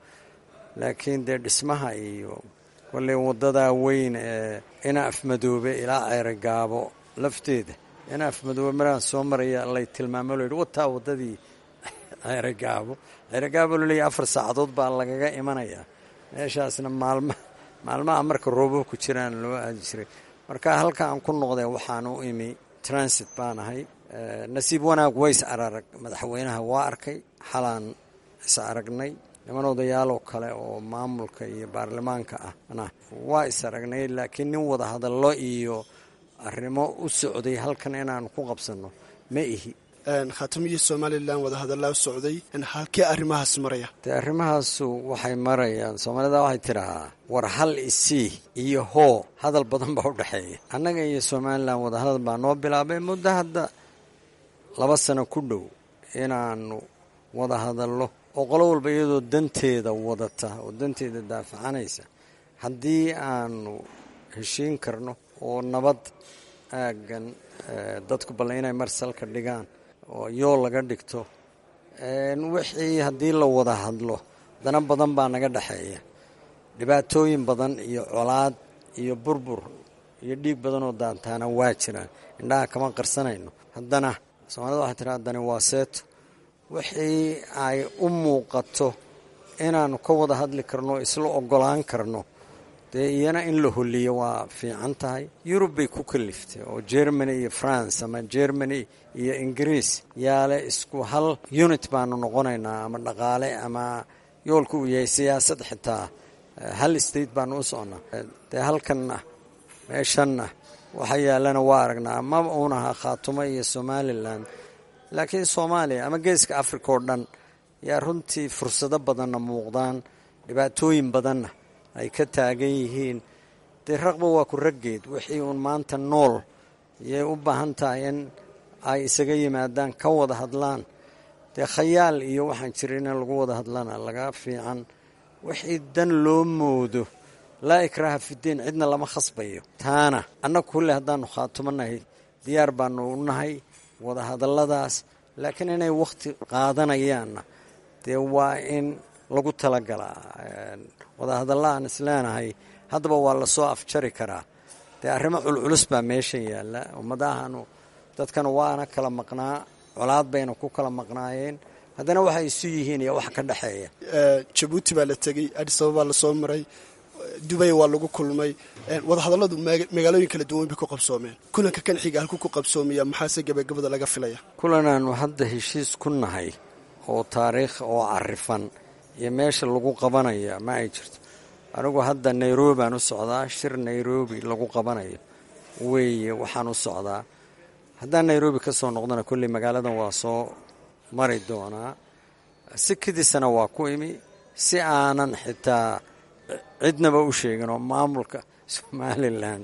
laakiin dee dhismaha iyo kolley waddadaa weyn ee ina Afmadoobe ilaa Ceerogaabo lafteeda, ina Afmadoobe maraan soo maraya lay tilmaamo lo yidhi wataa waddadii Ceerogaabo. Ceerogaabo laleeyahy afar saacadood baa lagaga imanayaa meeshaasna. Maalma maalmaha marka roobabku jiraan loo aadi jiray. Marka halka aan ku noqday waxaan u imi transit baan ahay. Nasiib wanaag ways ararag madaxweynaha waa arkay, xalaan is aragnay. Niman odayaaloo kale oo maamulka iyo baarlamaanka ahna waa is aragnay, laakiin nin wada hadallo iyo arrimo u socday halkan inaan ku qabsanno ma ihi. Khaatumo iyo Somalilan wadahadallaa socday, halkee arrimahaas maraya? Dee arrimahaasu waxay marayaan, Soomaalida waxay tidhahaa war hal isii iyo hoo hadal badan baa u dhexeeya. Annaga iyo Somalilan wadahadal baa noo bilaabay muddo hadda laba sano ku dhow inaanu wada hadallo, oo qolo walba iyadoo danteeda wadata oo danteeda daafacanaysa haddii aanu heshiin karno oo nabad aaggan dadku balle inay marsalka dhigaan oo yool laga dhigto wixii haddii la wada hadlo dana badan baa naga dhexeeya, dhibaatooyin badan iyo colaad iyo burbur iyo dhiig badan oo daantaana waa jiraan, indhaha kama qarsanayno. Haddana Soomaalida waxay tiraa haddani waa seeto, wixii ay u muuqato inaannu ka wada hadli karno, isla ogolaan karno, dee iyana in la holiyo waa fiican tahay. Yurub bay ku kaliftay oo Germany iyo France ama Germany iyo Ingiriis yaale isku hal unit baanu noqonaynaa, ama dhaqaale ama yoolku uu yahay siyaasad, xitaa hal state baanu u soconnaa. Dee halkanna meeshanna waxa yaallana waa aragnaa, ma uunaha Khaatumo iyo Somalilan, laakiin Soomaaliya ama geeska Africa oo dhan yaa runtii fursado badanna muuqdaan, dhibaatooyin badanna ay ka taagan yihiin. Dee raqba waa ku raggeed, wixii uun maanta nool yay u baahan tahay in ay isaga yimaadaan, ka wada hadlaan. Dee khayaal iyo waxaan jirin in lagu wada hadlana laga fiican, wixii dan loo moodo laa ikraha fidiin, cidna lama khasbayo. Taana annagu kulle haddaanu khaatumo nahay diyaar baanu u nahay wada hadalladaas, laakiin inay wakhti qaadanayaanna dee waa in lagu talagalaa. Wadahadalla aan isleenahay haddaba waa lasoo afjari karaa, dee arrimo culculus baa meesha yaalla. Ummadahanu dadkana waana kala maqnaa, colaad bayna ku kala maqnaayeen, haddana waxay isu yihiin iyo wax ka dhexeeya. Jabuuti baa la tegey, Addis Ababa baa lasoo maray, Dubay waa lagu kulmay, wadahadalladu magaalooyin kala duwan bay ku qabsoomeen. Kulanka kan xiga halkuu ku qabsoomaya, maxaase gabagabada laga filaya? Kulanaanu hadda heshiis ku nahay oo taariikh oo carifan iyo meesha lagu qabanaya ma ay jirto. Anigu hadda Nairobi baan u socdaa, shir Nairobi lagu qabanayo weeye waxaan u socdaa. Haddaan Nairobi ka soo noqdona kolley magaaladan waa soo mari doonaa, si kadisana waa ku imi, si aanan xitaa cidnaba u sheegin oo maamulka Somalilan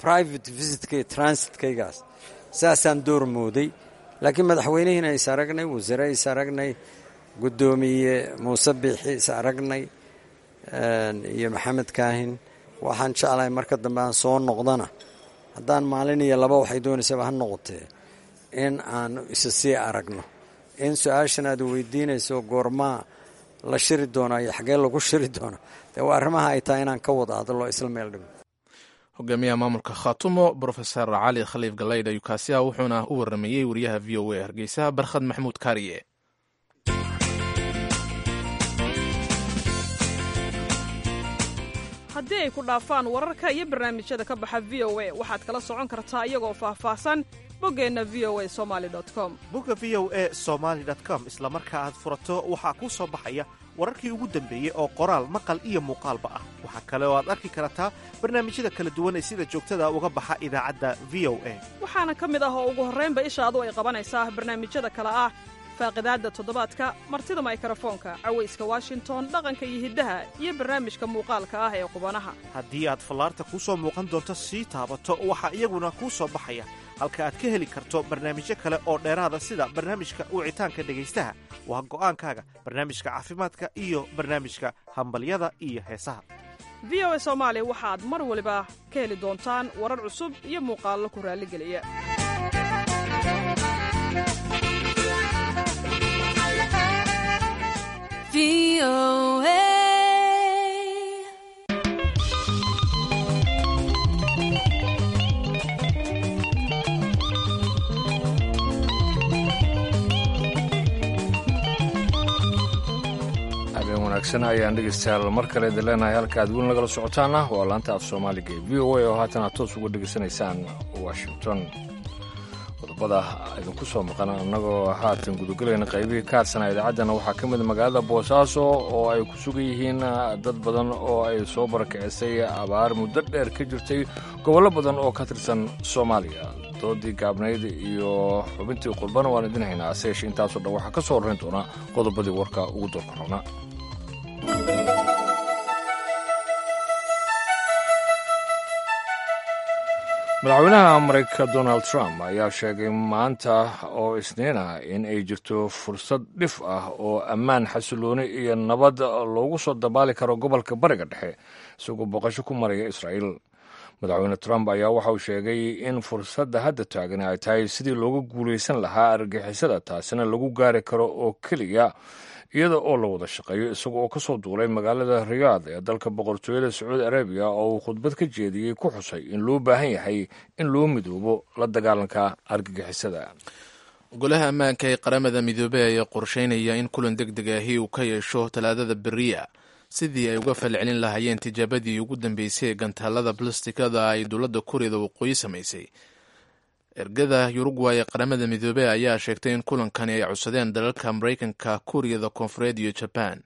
private visitkay transitkaygaas saasaan door mooday. Laakiin madaxweynihiina is aragnay, wasiire is aragnay, guddoomiye Muuse Biixi is aragnay iyo Maxamed Kaahin. Waxaan jeclahay marka dambe aan soo noqdana, haddaan maalin iyo laba waxay doonaysaba ha noqotee, in aanu isa sii aragno. In su-aashan aad weydiinayso goormaa la shiri doonaa iyo xagee lagu shiri doonaa, dee waa arrimaha ay tahay inaan ka wada hadlo isla meel dhigo. Hogaamiyaha maamulka Khaatumo Brofesor Cali Khaliif Galaydh ayuu kaasi ah, wuxuuna u waramayey wariyaha V O A Hargeysa Barkhad Maxamuud Kaariye. Haddii ay ku dhaafaan wararka iyo barnaamijyada ka baxa V O A, waxaad kala socon kartaa iyagoo faahfaahsan boggeenna V O A somaali com. Bogga V O A somaali com isla marka aad furato waxaa kuu soo baxaya wararkii ugu dambeeyey oo qoraal, maqal iyo muuqaalba ah. Waxaa kale oo aad arki kartaa barnaamijyada kala duwan ee sida joogtada uga baxa idaacadda V O A. Waxaana ka mid ah oo ugu horraynba ishaadu ay qabanaysaa barnaamijyada kale ah faaqidaadda toddobaadka, martida maykarafoonka, cawayska Washington, dhaqanka iyo hiddaha, iyo barnaamijka muuqaalka ah ee qubanaha. Haddii aad fallaarta kuu soo muuqan doonto sii taabato, waxaa iyaguna kuu soo baxaya halka aad ka heli karto barnaamijyo kale oo dheeraada, sida barnaamijka wicitaanka dhegaystaha, waa go'aankaaga, barnaamijka caafimaadka iyo barnaamijka hambalyada iyo heesaha. V O A Soomaali waxaad mar waliba ka heli doontaan warar cusub iyo muuqaallo ku raalligeliya. Habeen wanaagsan ayaan dhegeystayaal mar kale idin leenahay. Halka aad weli nagala socotaana waa laanta af Soomaaliga ee V O A oo haatan aad toos uga dhegeysanaysaan Washington. Qodobada idinku soo maqan annagoo haatan gudagelayna qaybihii ka hadsanaa idaacaddana waxaa ka mid magaalada Boosaaso oo ay ku sugan yihiin dad badan oo ay soo barakicisay abaar muddo dheer ka jirtay gobollo badan oo ka tirsan Soomaaliya. Doodii gaabnayd iyo xubintii qurbana waan idin haynaa, hase yeeshee intaasoo dhan waxaa ka soo horrayn doona qodobadii warka ugu doorka roona. Madaxweynaha Mareykanka Donald Trump ayaa sheegay maanta oo Isniin ah in ay jirto fursad dhif ah oo ammaan, xasilooni iyo nabad loogu soo dabaali karo gobolka Bariga Dhexe, isagoo booqasho ku maraya Israa'iil. Madaxweyne Trump ayaa waxa uu sheegay in fursadda hadda taagan ay tahay sidii looga guulaysan lahaa argagixisada, taasina lagu gaari karo oo keliya iyada oo la wada shaqeeyo. Isaga oo ka soo duulay magaalada Riyaad ee dalka Boqortooyada Sacuudi Arabiya oo uu khudbad ka jeediyey ku xusay in loo baahan yahay in loo midoobo la dagaalanka argagixisada. Golaha ammaanka ee Qaramada Midoobey ayaa qorsheynaya in kulan deg deg ahi uu ka yeesho Talaadada beriya sidii ay uga falcelin lahaayeen tijaabadii ugu dambeysay ee gantaalada blastikada ay dowladda Kuuriyada Waqooyi samaysay. Ergada Yurugway ee Qaramada Midoobey ayaa sheegtay in kulankani ay codsadeen dalalka Maraykanka, Kuuriyada Koonfureed iyo Jabaan.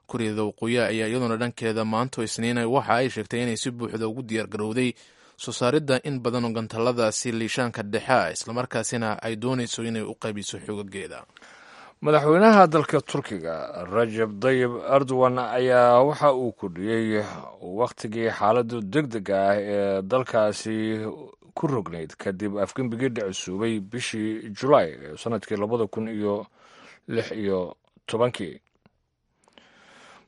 Kuuriyada Waqooyi ayaa iyaduna dhankeeda maanto Isniina waxa ay sheegtay inay si buuxda ugu diyaargarowday soo saaridda in badan oo gantaaladaasi liishaanka dhexe ah, islamarkaasina ay doonayso inay u qaybiso xoogageeda. Madaxweynaha dalka Turkiga Rajab Dayib Erdogan ayaa waxa uu kordhiyey wakhtigii xaaladda deg dega ah ee dalkaasi ku rognayd kadib afgembigii dhicisuubay bishii Julaay ee sanadkii labada kun iyo lix iyo tobankii.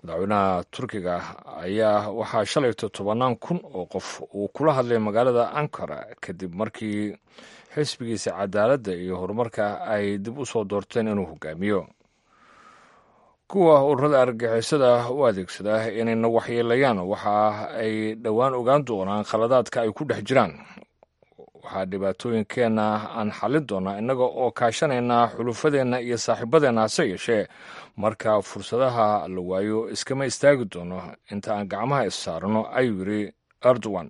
Madaxweynaha Turkiga ayaa waxaa shalayto tobannaan kun oo qof uu kula hadlay magaalada Ankara kadib markii xisbigiisa Cadaaladda iyo Horumarka ay dib u soo doorteen inuu hogaamiyo. Kuwa ururada argagixisada u adeegsada inayna waxyeelayaan waxa ay dhowaan ogaan doonaan khaladaadka ay ku dhex jiraan. Waxaa dhibaatooyinkeenna aan xallin doonaa innaga oo kaashanaynaa xulufadeenna iyo saaxiibadeenna, hase yeeshee marka fursadaha la waayo iskama istaagi doono inta aan gacmaha is saarno, ayuu yidhi Erdogan.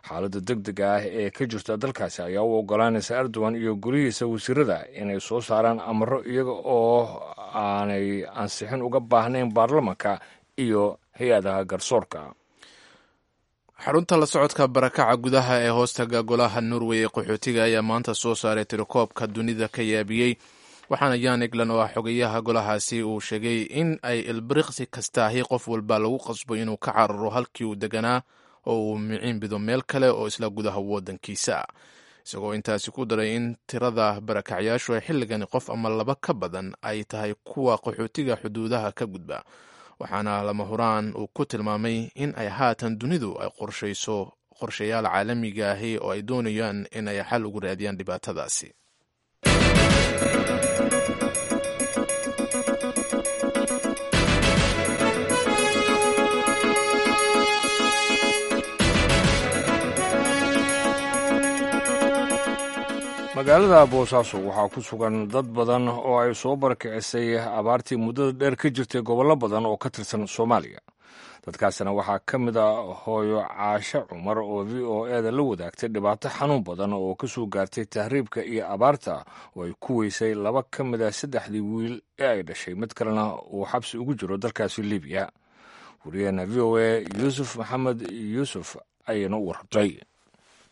Xaaladda deg dega ah ee ka jirta dalkaasi ayaa u ogolaanaysa Erdogan iyo golihiisa wasiirada inay soo saaraan amaro iyaga oo aanay ansixin uga baahnayn baarlamanka iyo hay-adaha garsoorka. Xarunta la socodka barakaca gudaha ee hoostaga golaha Norway ee qaxootiga ayaa maanta soo saaray tirakoobka dunida ka yaabiyey, waxaana Yan Egland oo ah xogayaha golahaasi uu sheegay in ay ilbiriqsi kastaahi qof walba lagu qasbo inuu ka cararo halkii uu deganaa oo uu miciinbido meel kale oo isla gudaha waddankiisa, isagoo intaasi ku daray in tirada barakacyaashu ay xilligani qof ama laba ka badan ay tahay kuwa qaxootiga xuduudaha ka gudba. Waxaana lama huraan uu ku tilmaamay in ay haatan dunidu ay qorshayso qorshayaal caalamiga ahi oo ay doonayaan in ay xal ugu raadiyaan dhibaatadaasi. Magaalada Boosaaso waxaa ku sugan dad badan oo ay soo barakicisay abaartii muddada dheer ka jirtay gobollo badan oo ka tirsan Soomaaliya. Dadkaasina waxaa ka mid a hooyo Caashe Cumar oo V O e da la wadaagtay dhibaato xanuun badan oo ka soo gaartay tahriibka iyo abaarta, oo ay ku weysay laba ka mid a saddexdii wiil ee ay dhashay, mid kalena uu xabsi ugu jiro dalkaasi Libiya. Wariyaheena V O e Yuusuf Maxamed Yuusuf ayayna u warrabtay.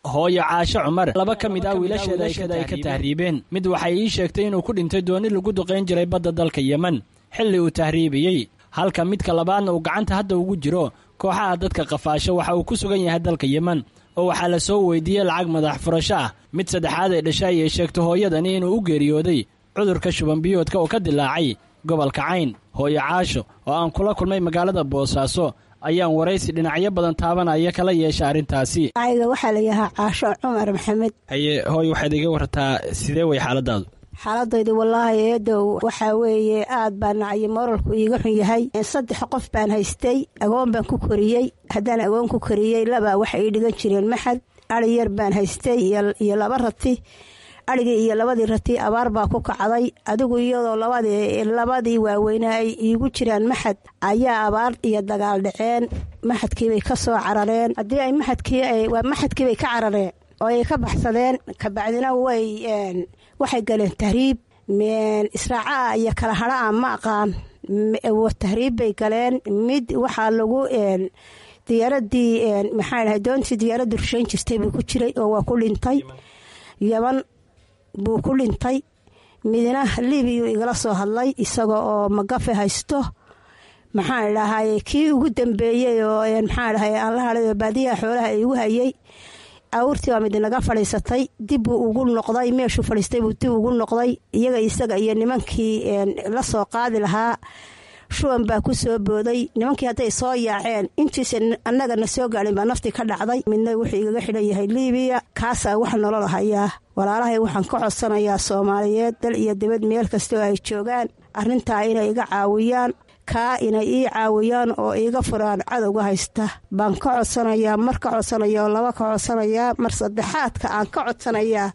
Hooyo Caashe Cumar laba ka mid ah wiilasheeda ay ka tahriibeen. Mid waxay ii sheegtay inuu ku dhintay dooni lagu duqayn jiray badda dalka Yemen xilli uu tahriibiyey, halka midka labaadna uu gacanta hadda ugu jiro kooxaha dadka qafaasho. Waxa uu ku sugan yahay dalka Yemen oo waxaa la soo weydiiyey lacag madax furasho ah. Mid saddexaad ay dhashay ayay sheegto hooyadani inuu u geeriyooday cudurka shubanbiyoodka oo ka dilaacay gobolka Cayn. Hooyo Caasho oo aan kula kulmay magaalada Boosaaso ayaan waraysi dhinacyo badan taabanaya kala yeesha arrintaasi. Ayga waxaa la yahaa Caasho Cumar Maxamed. Haye hooy, waxaad iga warartaa sidee way xaaladaadu? Xaaladaydu wallaahi eedow waxaa weeye aad baa nacyo moralku iiga xun yahay. Saddex qof baan haystay, agoon baan ku koriyey. Haddaan agoon ku koriyey, labaa waxay ii dhigan jireen maxad. Ari yar baan haystay iyo laba rati. Arigii iyo labadii rati abaar baa ku kacday. Adigu iyadoo labadii labadii waaweynaa ay iigu jiraan maxad ayaa abaar iyo dagaal dhaceen. Maxadkiibay ka soo carareen. Haddii ay maxadkii waa maxadkiibay ka carareen oo ay ka baxsadeen. Kabacdina way waxay galeen tahriib. Israacaa iyo kala hadhaa ma aqaan, tahriib bay galeen. Mid waxaa lagu diyaaradii maxaa dhahay doontii diyaaradda rushayn jirtay buu ku jiray oo waa ku dhintay Yaman. buu ku dhintay. Midna Liibiyuu igala soo hadlay isaga oo magafe haysto. Maxaan idhaahaaye, kii ugu dambeeyey oo maxaan dhahay aan la hadhay oo baadiyaha xoolaha igu hayay, awrtii baa mid naga fadhiisatay, dib buu ugu noqday meeshuu fadhiistay buu dib ugu noqday. Iyaga isaga iyo nimankii la soo qaadi lahaa shuban baa ku soo booday. Nimankii hadday soo yaaceen, intiisa annagana soo gaadhin baa naftii ka dhacday. Midna wuxuu igaga xidhan yahay Liibiya, kaasaa wax nolol hayaa. Walaalahay waxaan ka codsanayaa Soomaaliyeed dal iyo dibad meel kasta oo ay joogaan arrintaa inay iga caawiyaan, kaa inay ii caawiyaan oo iiga furaan cadowga haysta baan ka codsanayaa. Mar ka codsanaya oo laba ka codsanayaa, mar saddexaadka aan ka codsanayaa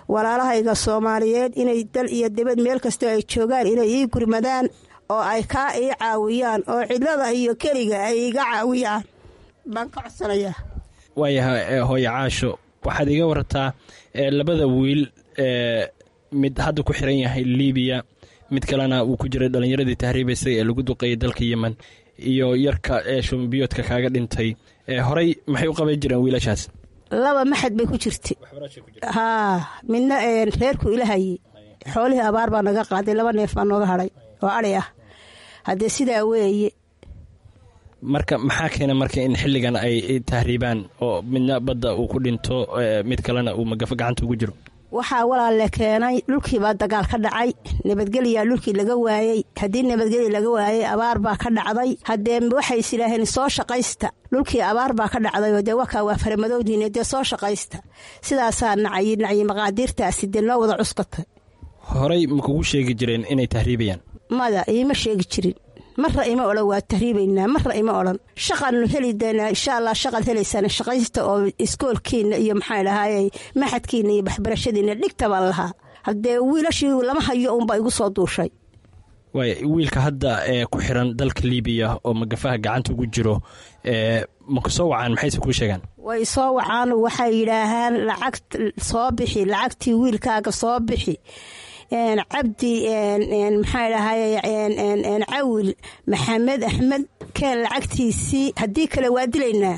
walaalahayga Soomaaliyeed inay dal iyo dibad meel kastoo ay joogaan inay ii gurmadaan oo ay kaa ii caawiyaan oo cidlada iyo keliga ay iga caawiyaan baan ka codsanayaa. Waayahay hooyo Caasho, waxaad iga warartaa labada wiil, mid hadda ku xiran yahay Liibiya, mid kalena uu ku jiray dhallinyaradii tahriibaysay ee lagu duqeeyay dalka Yemen, iyo yarka ee shumbiyoodka kaaga dhintay, horey maxay u qaban jireen wiilashaas? Laba maxad bay ku jirtay haa, midna reerku ilahayey. Xoolihii abaar baa naga qaaday, laba neef baa nooga hadhay oo adhi ah. Haddee sidaa weeye. Marka maxaa keena marka in xilligan ay tahriibaan oo midna badda uu ku dhinto, mid kalena uu magafo gacanta ugu jiro? Waxaa walaalle keenay dhulkiibaa dagaal ka dhacay, nabadgelyaa dhulkii laga waayey. Haddii nabadgelya laga waayey, abaar baa ka dhacday. Haddee waxay is idhaaheen soo shaqaysta, dhulkii abaar baa ka dhacday oo dee wakaa waa faramadowdiine, dee soo shaqaysta. Sidaasaa nacyi nacyi maqaadiirtaasi dee noo wada cuskatay. Horey ma kugu sheegi jireen inay tahriibayaan? Mada, iima sheegi jirin. Marra ima odhan waa tahriibaynaa, marra ima odhan. Shaqaanu heli doonaa insha Allah, shaqaad helaysaan, shaqaysta oo iskoolkiina iyo maxaa dhahaayey maxadkiina iyo waxbarashadiina dhigta baan lahaa. Haddee wiilashii lama hayo uunbaa igu soo duushay. Waaya, wiilka hadda ee ku xiran dalka Liibiya oo magafaha gacanta ugu jiro, ma ku soo wacaan? Maxayse kuu sheegaan? Way soo wacaan, waxay yidhaahaan lacag soo bixi, lacagtii wiilkaaga soo bixi. Cabdi maxaa dhahay, Cawil Maxamed Axmed, keen lacagtiisii, haddii kale waa dilaynaa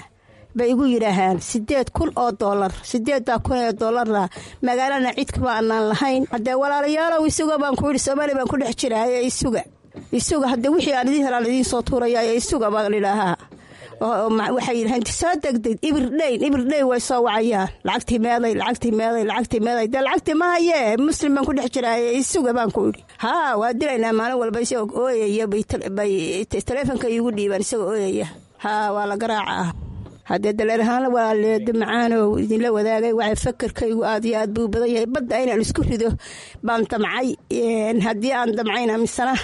bay igu yidhaahaan. Sideed kun oo doolar, sideeddaa kun oo doolarna magaalana cid kuma anaan lahayn. Haddee walaalayaalow isuga baan ku yidhi, Soomaaliya baan ku dhex jiraaye isuga, isuga. Haddee wixii aan idiin helaan idiin soo tuuraya, isuga baan idhaahaa. Waxay yidhahaan soo degdeg, ibir dheyn, ibir dheyn way soo wacayaan, lacagtii meeday, lacagtii meeday, lacagtii meeday. Dee lacagtii ma hayee, muslim baan ku dhex jiraaye isuga baan ku idhi. Haa, waa dilaynaa maalin walba isagoo ooyaya bay taleefonka iigu dhiibaan isagoo ooyaya. Haa, waa la garaacaa. Haddee daleer ahaan walaaleedo macaanow idinla wadaagay, waxay fakarkaygu aad iyo aad buu badan yahay. Badda inaan isku rido baan damcay. Haddii aan damcayna misana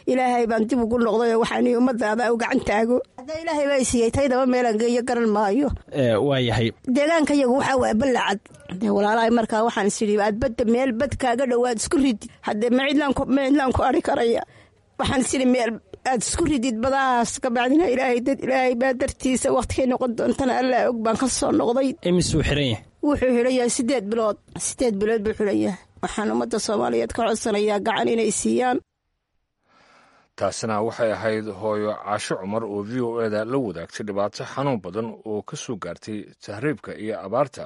Ilaahay baan dib ugu noqday oo waxaan ummadaada u gacan taago. Haddee Ilaahay baa isiiyey, taydaba meelaan geeyo garan maayo. Waayahay. Deegaanka yagu waxaa waa ballacad. Haddee walaalahay markaa waxaan is idhi aad badda meel bad kaaga dhowaad isku ridi. Haddee ma cidlaan ma cidlaan ku ari karaya. Waxaan is idhi meel aad isku ridid badahaas, kabacdina Ilaahay dad Ilaahay baa dartiisa waqtigay noqon doontana Allaa og baan ka soo noqday. Imisuu xiran yahay? Wuxuu xiran yahay sideed bilood, sideed bilood buu xiran yahay. Waxaan ummadda Soomaaliyeed ka codsanayaa gacan inay siiyaan. Taasina waxay ahayd hooyo Caasho Cumar oo V O eda la wadaagtay dhibaato xanuun badan oo ka soo gaartay tahriibka iyo abaarta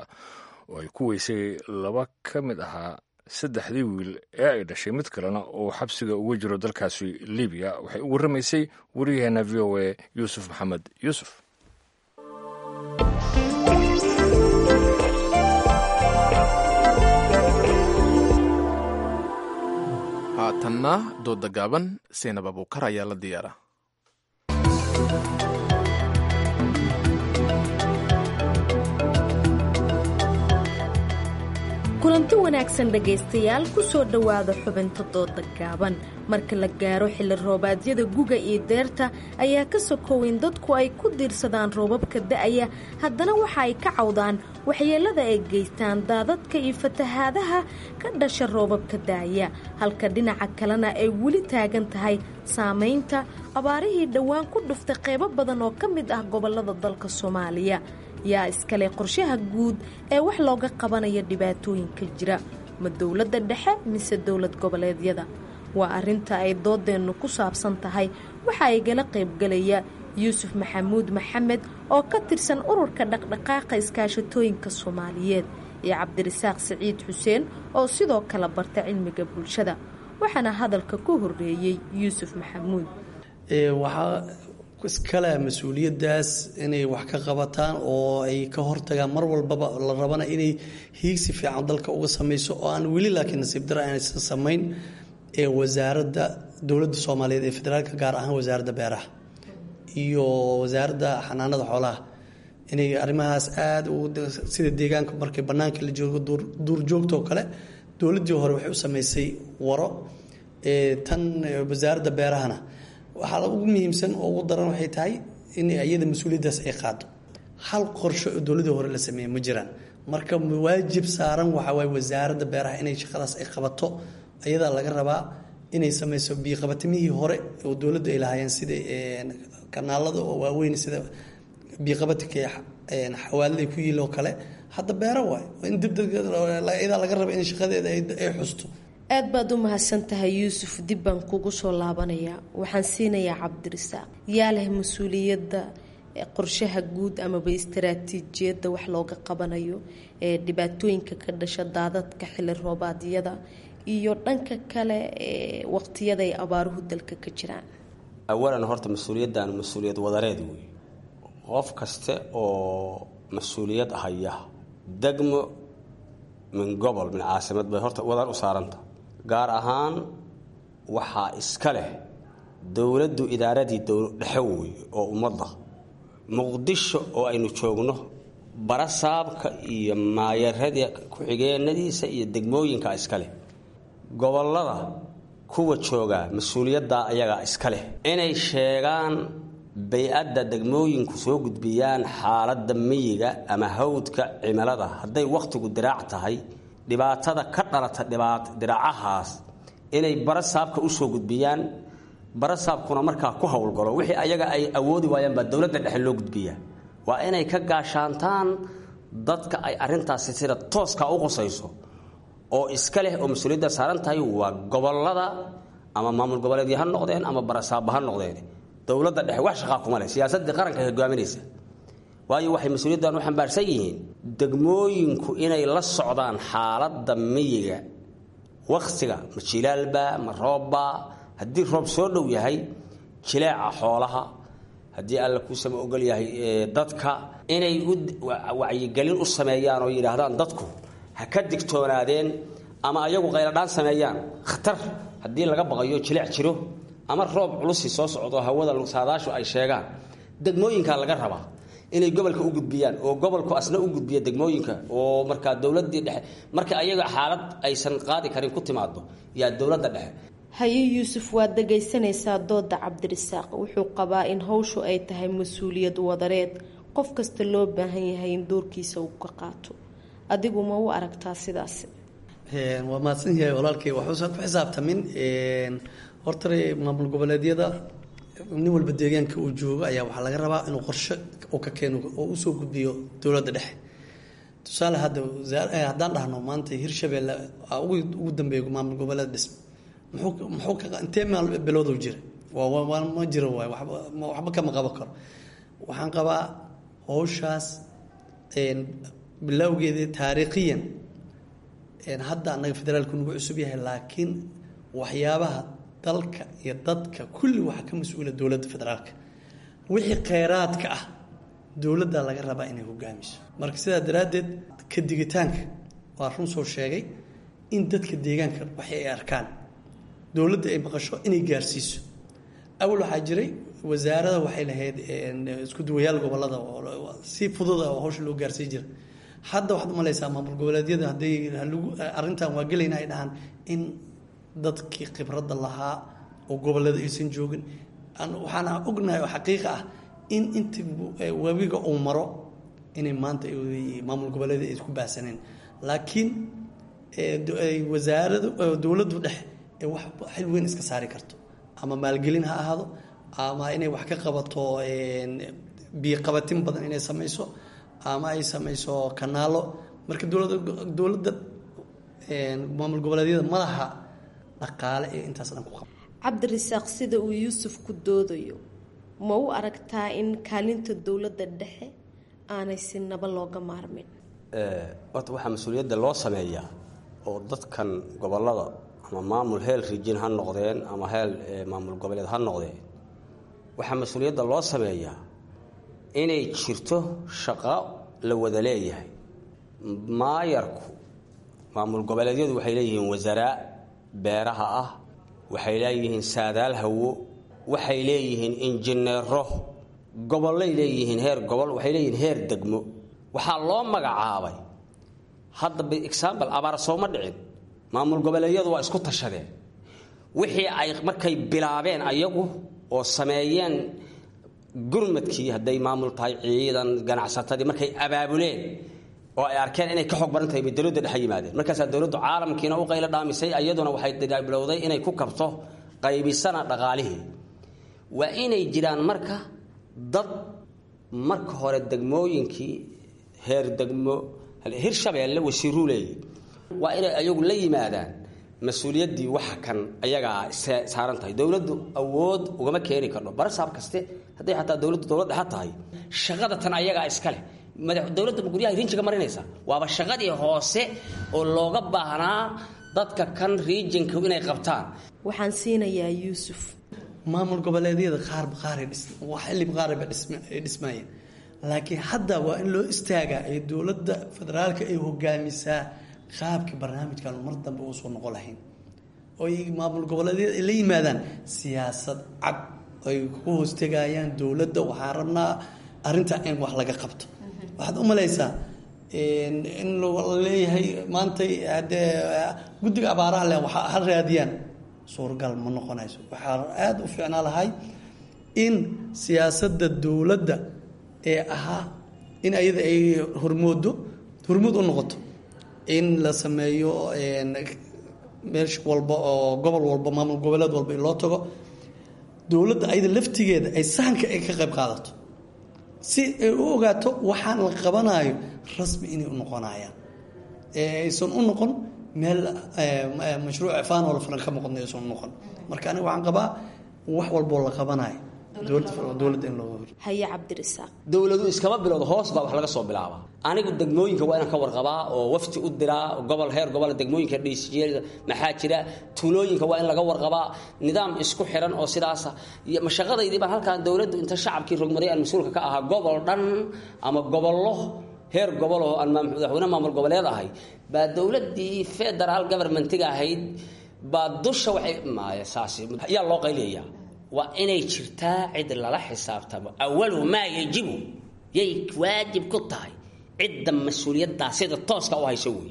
oo ay ku weysay laba ka mid ahaa saddexdii wiil ee ay dhashay, mid kalena oo xabsiga uga jiro dalkaasi Libiya. Waxay u warramaysay wariyaheenna V O A Yuusuf Maxamed Yuusuf. Haatanna dooda gaaban, Seynab Abuukar ayaa la diyaara. Kulanti wanaagsan dhegaystayaal, ku soo dhowaada xubinta dooda gaaban. Marka la gaaro xilli roobaadyada guga iyo deerta ayaa ka sokoweyn dadku ay ku diirsadaan roobabka da'aya, haddana waxa ay ka cawdaan waxyeellada ay geystaan daadadka iyo fatahaadaha ka dhasha roobabka da'aya, halka dhinaca kalena ay weli taagan tahay saamaynta abaarihii dhowaan ku dhuftay qaybo badan oo ka mid ah gobollada dalka Soomaaliya. Yaa iskale qorshaha guud ee wax looga qabanaya dhibaatooyinka jira? Ma dowladda dhexe mise dowlad goboleedyada? Waa arrinta ay doodeennu ku saabsan tahay. Waxa igala qaybgalaya Yuusuf Maxamuud Maxamed oo ka tirsan ururka dhaqdhaqaaqa iskaashatooyinka Soomaaliyeed iyo Cabdirasaaq Siciid Xuseen oo sidoo kale barta cilmiga bulshada. Waxaana hadalka ku horeeyey Yuusuf Maxamuud. Waxaa iskale mas-uuliyaddaas inay wax ka qabataan oo ay ka hortagaan mar walbaba la rabana inay hiigsi fiican dalka uga samayso oo aan weli laakiin nasiib dara aanaysan samayn ee wasaaradda dowladda Soomaaliyeed ee federaalka, gaar ahaan wasaaradda beeraha iyo wasaaradda xanaanada xoolaha, inay arrimahaas aada sida deegaanka markay bannaanka la joogo duurjoogta oo kale. Dowladdii hore waxay u samaysay waro, tan wasaaradda beerahana waxaa ugu muhiimsan oo ugu daran waxay tahay in iyada mas-uuliyaddaas ay qaado. Hal qorsho oo dowladii hore la sameeyey ma jiraan. Marka waajib saaran waxaa waaye wasaaradda beeraha inay shaqadaas ay qabato. Iyadaa laga rabaa inay sameyso biiqabatimihii hore oo dowladdu ay lahaayeen, sida kanaalada oo waaweyn, sida biiqabatinka xawaalada ku yiil oo kale. Hadda beero waay in dibdeg iyadaa laga raba in shaqadeeda ay xusto. Aad baad u mahadsan tahay Yuusuf, dib baan kugu soo laabanayaa. Waxaan siinayaa Cabdirasaaq. Yaa leh mas-uuliyadda qorshaha guud amaba istaraatiijiyadda wax looga qabanayo ee dhibaatooyinka ka dhasha daadadka xilli roobaadyada iyo dhanka kale ee waqtiyada ay abaaruhu dalka ka jiraan? Awalan horta mas-uuliyaddan mas-uuliyad wadareed wey. Qof kaste oo mas-uuliyad haya, degmo min gobol min caasimad, bay horta wadar u saaranta. Gaar ahaan waxaa iska leh dowladdu, idaaradii dhexe wey oo ummadda Muqdisho oo aynu joogno, barasaabka iyo maayaradii ku-xigeenadiisa iyo degmooyinka iska leh. Gobollada kuwa joogaa mas-uuliyaddaa ayagaa iska leh inay sheegaan bay-adda degmooyinku, soo gudbiyaan xaaladda miyiga ama hawdka, cimilada, hadday wakhtigu diraac tahay, dhibaatada ka dhalata diraacahaas inay barasaabka usoo gudbiyaan. Barasaabkuna markaa ku howlgalo. Wixii ayaga ay awoodi waayaan baa dowladda dhexe loo gudbiyaa. Waa inay ka gaashaantaan dadka ay arrintaasi sida tooska u qusayso oo iska leh oo mas-uuliyadda saaran tahay waa gobollada, ama maamul goboleedyo ha noqdeen ama barasaabba ha noqdeen. Dowladda dhexe wax shaqaa kuma leh, siyaasaddii qaranka hogaaminaysa. Waayo, waxay mas-uuliyaddan u xambaarsan yihiin degmooyinku inay la socdaan xaaladda miyiga, wakhtiga, ma jilaalba ma roobba. Haddii roob soo dhow yahay, jileeca xoolaha, haddii Alla kuusama ogol yahay, dadka inay u wacyigelin u sameeyaan oo yidhaahdaan dadku ha ka digtoonaadeen, ama ayagu qayladhaan sameeyaan khatar haddii laga baqayo, jileec jiro ama roob culusi soo socdo, hawada saadaashu ay sheegaan. Degmooyinkaa laga rabaa inay gobolka u gudbiyaan oo gobolku asna u gudbiya degmooyinka, oo markaa dowladii dhexe marka ayaga xaalad aysan qaadi karin ku timaado yaa dowladda dhexe. Haye Yuusuf, waad dhagaysanaysaa dooda Cabdirasaaq. Wuxuu qabaa in howshu ay tahay mas-uuliyad wadareed, qof kasta loo baahan yahay in doorkiisa uu ka qaato. Adigu ma u aragtaa sidaasi? Waa mahadsan yahay walaalkay. Waxuusan ku xisaabtamin horta maamul goboleedyada. Nin walba deegaanka uu joogo ayaa waxaa laga rabaa inuu qorshe uu ka keeno oo usoo gudbiyo dowladda dhexe. Tusaale, hadda haddaan dhahno maanta Hirshabeelle ugu dambeeya maamul goboleed dhismo, muxuu muxuu ka intee maal bilowdu jira? Waa ma jiro waay, waxba kama qaban karo. Waxaan qabaa howshaas bilowgeedii taariikhiyan hadda annaga federaalku nagu cusub yahay, laakiin waxyaabaha dalka iyo dadka kulli waxaa ka mas-uula dowladda federaalka. Wixii kheyraadka ah dowladda laga rabaa inay hogaamiso. Marka sidaa daraaddeed ka digitaanka waa run soo sheegay in dadka deegaanka waxay ay arkaan dowladda ay maqasho inay gaarsiiso. Awal waxaa jiray wasaarada waxay lahayd isku duwayaal gobolada oo si fududa oo hawsha loo gaarsiin jira. Hadda waxaad umalaysaa maamul goboleedyada hadday lagu arrintan waa gelayna ay dhahaan in dadkii khibradda lahaa oo gobolada aysan joogin. Waxaana ognahay oo xaqiiqa ah in inta webiga uu maro inay maanta maamul goboleedyada ay isku baahsaneen, laakiin wasaaradu dowladdu dhexe ee wax xil weyn iska saari karto, ama maalgelin ha ahaado ama inay wax ka qabato biyoqabatin badan inay samayso ama ay samayso kanaalo. Marka dowlada dowladda maamul goboleedyada ma laha dhaqaale ee intaas dhan ku qaba. Cabdirasaaq, sida uu Yuusuf ku doodayo ma u aragtaa in kaalinta dowladda dhexe aanay sinaba looga maarmin? Horta waxaa mas-uuliyadda loo sameeyaa oo dadkan gobollada ama maamul heel rijin ha noqdeen ama heel maamul goboleed ha noqdeen, waxaa mas-uuliyadda loo sameeyaa inay jirto shaqo la wada leeyahay. Maayarku maamul goboleedyadu waxay leeyihiin wasaraa beeraha ah, waxay leeyihiin saadaal hawo, waxay leeyihiin injineero, gobollay leeyihiin heer gobol, waxay leeyihiin heer degmo. Waxaa loo magacaabay hadda by example abaar sooma dhicin, maamul goboleedyadu waa isku tashadeen. Wixii ay markay bilaabeen ayagu oo sameeyeen gurmadkii, hadday maamul tahay, ciidan, ganacsatadii, markay abaabuleen oo ay arkeen inay ka xoog badan tahay bay dowladda dhexe yimaadeen. Markaasaa dowladdu caalamkiina u qaylo dhaamisay, iyaduna waxay bilowday inay ku kabto qaybisana dhaqaalihii. Waa inay jiraan marka dad marka hore degmooyinkii heer degmo Hirshabeelle wasiiruu leeyahy, waa inay ayagu la yimaadaan mas-uuliyaddii. Waxa kan ayagaa saaran tahay, dowladdu awood ugama keeni kardho barasaab kaste. Hadday xataa dowladdu dowlad dhexa tahay, shaqada tan ayagaa iska leh. Dowladda ma guryaha rinjiga marinaysa? Waaba shaqadii hoose oo looga baahnaa dadka kan riijinka inay qabtaan. Waxaan siinayaa Yuusuf. Maamul goboleedyada qaarba qaaray xilli qaarba ay dhismaayeen, laakiin hadda waa in loo istaagaa ee dowladda federaalka ay hogaamisaa qaabkii barnaamijkan mar dambe uusoo noqon lahayn, oo ay maamul goboleedyada ay la yimaadaan siyaasad cad ay ku hoostegayaan dowladda. Waxaan rabnaa arrinta in wax laga qabto. Waxaad u malaysaa in la leeyahay maantay haddee guddiga abaaraha leh waxa ha raadiyaan, suuragal ma noqonayso. Waxaa aada u fiicnaa lahay in siyaasadda dowladda ee ahaa in ayada ay hormoodo, hormood u noqoto, in la sameeyo meel walba oo gobol walba, maamul goboleed walba in loo tago, dowladda ayada laftigeeda ay sahanka ay ka qayb qaadato si ay u ogaato waxaan la qabanayo rasmi inay u noqonayaan, ee aysan u noqon meel mashruuc cifaan oo la furan ka noqon aysan u noqon. Marka aniga waxaan qabaa wax walboo la qabanayo dowladda in loo Haye Cabdirasaaq. Dowladu iskama bilowdo, hoos baa wax laga soo bilaaba. Anigu degmooyinka waa inaan ka warqabaa oo wafti u diraa gobol, heer gobol, degmooyinka dhiisjeeda maxaa jira, tuulooyinka waa in laga warqabaa, nidaam isku xiran oo sidaasa. Mashaqadaydii baan halkaan dowladdu inta shacabkii rogmaday aan mas-uulka ka ahaa gobol dhan ama gobollo heer gobol oo aan madaxweyne maamul goboleed ahay, baa dowladdii federaal governmentiga ahayd baa dusha waxay maaya saas yaa loo qayliyayaa. Waa inay jirtaa cid lala xisaabtamo. Awalu maa yajibu yay waajib ku tahay cidda mas-uuliyaddaa sida tooska u hayso wey.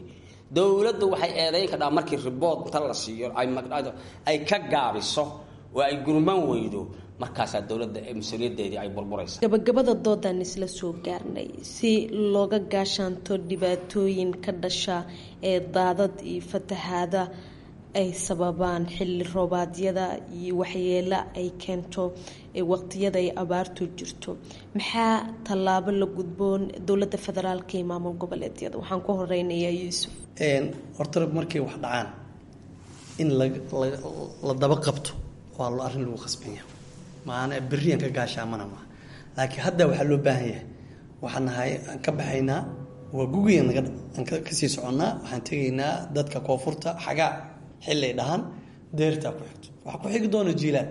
Dowladdu waxay eedayn kadhaa markii ribood inta la siiyo ay ka gaabiso oo ay gurman weydo, markaasaa dowladda mas-uuliyaddeedii ay burburaysa. Gabagabada doodaan isla soo gaarnay. Si looga gaashaanto dhibaatooyin ka dhasha ee daadad iyo fatahaada ay sababaan xilli roobaadyada iyo waxyeelo ay keento waqtiyada ay abaartu jirto, maxaa tallaabo la gudboon dowladda federaalka iyo maamul goboleedyada? Waxaan ku horeynayaa Yuusuf. Horta markay wax dhacaan in la daba qabto waa arrin lagu khasbanya, maana berriyan ka gaashaamana maaha. Laakiin hadda waxaa loo baahan yahay, waxaan nahay aan ka baxaynaa waa gugiyan aan kasii soconnaa, waxaan tegaynaa dadka koonfurta xagaa xilli ay dhahaan deertaa ku xigto, waxaa ku xigi doona jiilaal.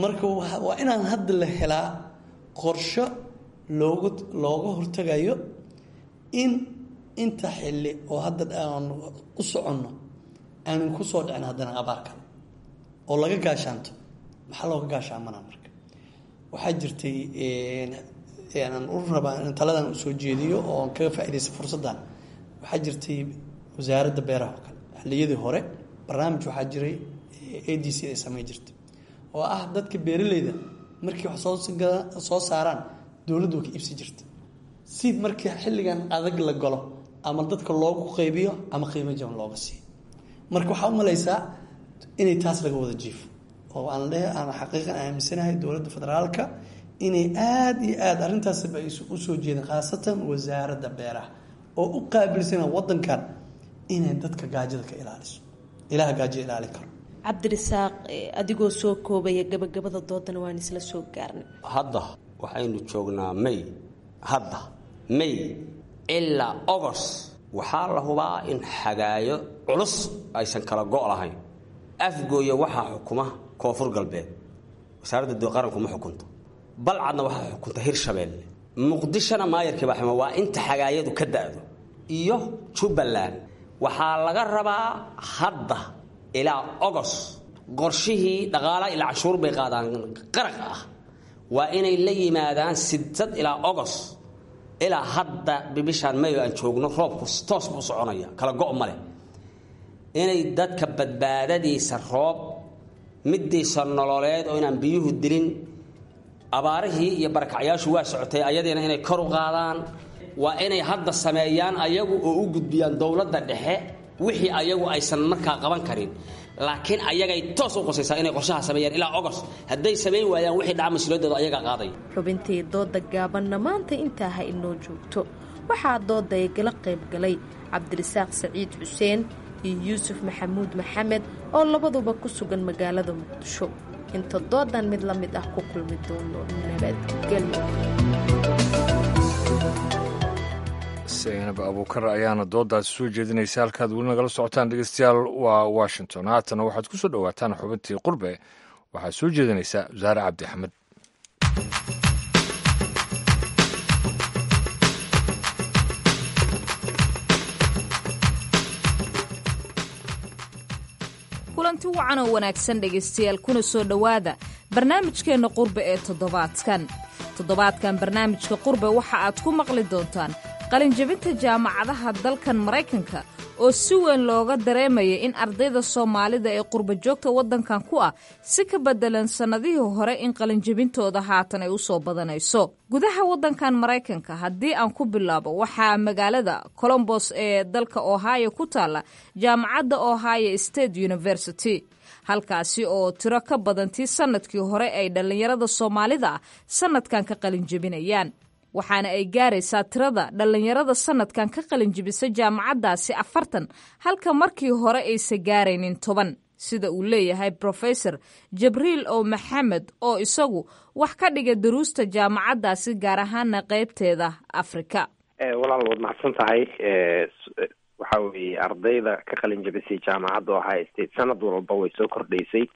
Marka waa inaan hadda la helaa qorsho loogu looga hortagayo in inta xilli oo hadda aan u soconno aanan ku soo dhicin haddana abaar kale oo laga gaashaanto. Maxaa looga gaashaamanaa? Marka waxaa jirtay aan u rabaa in taladan usoo jeediyo oo aan kaga faaidaysta fursaddan. Waxaa jirtay wasaaradda beeraha oo kale xilliyadii hore barnaamij waxaa jiray A D C ay samey jirtay oo ah dadka beeraleyda markii wax soo soo saaraan dowladdu way ka iibsi jirta, si markii xilligan adag la galo ama dadka loogu qaybiyo ama qiimo jaban looga siiyo. Marka waxaa u malaysaa inay taas laga wada jiifo oo aan le aan xaqiiqan aaminsanahay dowladda federaalka inay aada iyo aada arrintaasba ay usoo jeedeen, khaasatan wasaaradda beeraha oo u qaabilsana waddankan inay dadka gaajada ka ilaaliso. Ilaha gaajo ilaalin karo. Cabdirasaaq, adigoo soo koobaya, gabagabada doodana waan isla soo gaarnay. Hadda waxaynu joognaa May, hadda May Ilaa Ogos waxaa la hubaa in xagaayo culus aysan kala go' lahayn. Afgooya waxaa xukuma Koonfur Galbeed, wasaaradda qaranku ma xukunto. Balcadna waxaa xukunta Hirshabeelle. Muqdishona maayarkii baa xuma, waa inta xagaayadu ka da'do. Iyo Jubbaland waxaa laga rabaa hadda ilaa Ogos qorshihii dhaqaalaha, ilaa cashuur bay qaadaan qaraq ah, waa inay la yimaadaan sideed ilaa Ogos. Ilaa hadda bishaan Mayo aan joogno roobku toos buu soconaya, kala go' ma leh. Inay dadka badbaadadiisa roob, midiisa nololeed oo inaan biyuhu dilin, abaarihii iyo barakacyaashu waa socotay, ayadiina inay kor u qaadaan waa inay hadda sameeyaan ayagu oo u gudbiyaan dowladda dhexe wixii ayagu aysan markaa qaban karin, laakiin ayagay toos u qosaysaa inay qorshaha sameeyaan ilaa Ogos. Hadday samayn waayaan, wixii dhaca mas-uuliyaddooda ayagaa qaaday. Xubintii dooda gaabanna maanta intaa ha inoo joogto. Waxaa dooda igala qayb galay Cabdirasaaq Saciid Xuseen iyo Yuusuf Maxamuud Maxamed oo labaduba ku sugan magaalada Muqdisho. Inta doodan mid la mid ah ku kulmi doono, nabadgelyo. Saynab Abuukar ayaana doodaasi soo jeedinaysa. Halkaad weli nagala socotaan, dhegeystayaal, waa Washington. Haatana waxaad ku soo dhowaataan xubintii Qurbe. Waxaad soo jeedinaysaa Wasaare Cabdi Axmed. Kulanti wacan oo wanaagsan, dhegaystayaal, kuna soo dhowaada barnaamijkeenna Qurbe ee toddobaadkan. Toddobaadkan barnaamijka Qurbe waxa aad ku maqli doontaan qalinjabinta jaamacadaha dalkan Maraykanka oo si weyn looga dareemaya in ardayda Soomaalida ee qurba joogta waddankan ku ah si ka beddelan sannadihii hore in qalinjabintooda haatan ay u soo badanayso gudaha waddankan Maraykanka. Haddii aan ku bilaabo, waxaa magaalada Colombos ee dalka Ohio ku taalla jaamacadda Ohio State University, halkaasi oo tiro ka badantii sannadkii hore ay dhallinyarada Soomaalida ah sannadkan ka qalinjabinayaan, waxaana ay gaaraysaa tirada dhallinyarada sannadkan ka qalinjibisa jaamacaddaasi afartan, halka markii hore aysa gaaraynin toban, sida uu leeyahay Professor Jabriil O Maxamed oo isagu wax ka dhiga duruusta jaamacaddaasi, gaar ahaana qaybteeda Afrika. Walaal, waad mahadsan tahay. Waxa weeye ardayda ka qalin jabisay jaamacadda Ohio State sanad walba way soo kordhaysay.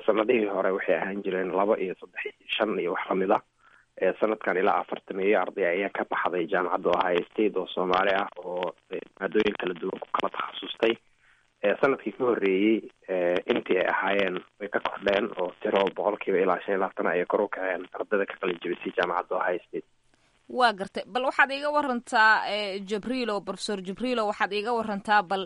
Sanadihii hore waxay ahaan jireen laba iyo saddex iyo shan iyo wax lamid ah. Sanadkan ilaa afartameeyo arday ayaa ka baxday jaamacadda Ohio State oo Soomaali ah oo maadooyin kala duwan ku kala takhasustay. Sanadkii ka horreeyey intii ay ahaayeen way ka kordheen oo tiro boqolkiiba ilaa shan iyo labaatan ayay kor u kaceen ardayda ka qalin jabisay jaamacadda Ohio State. Waa gartay. Bal waxaad iiga warantaa, Jabriilo, Professor Jabriilo, waxaad iiga warantaa bal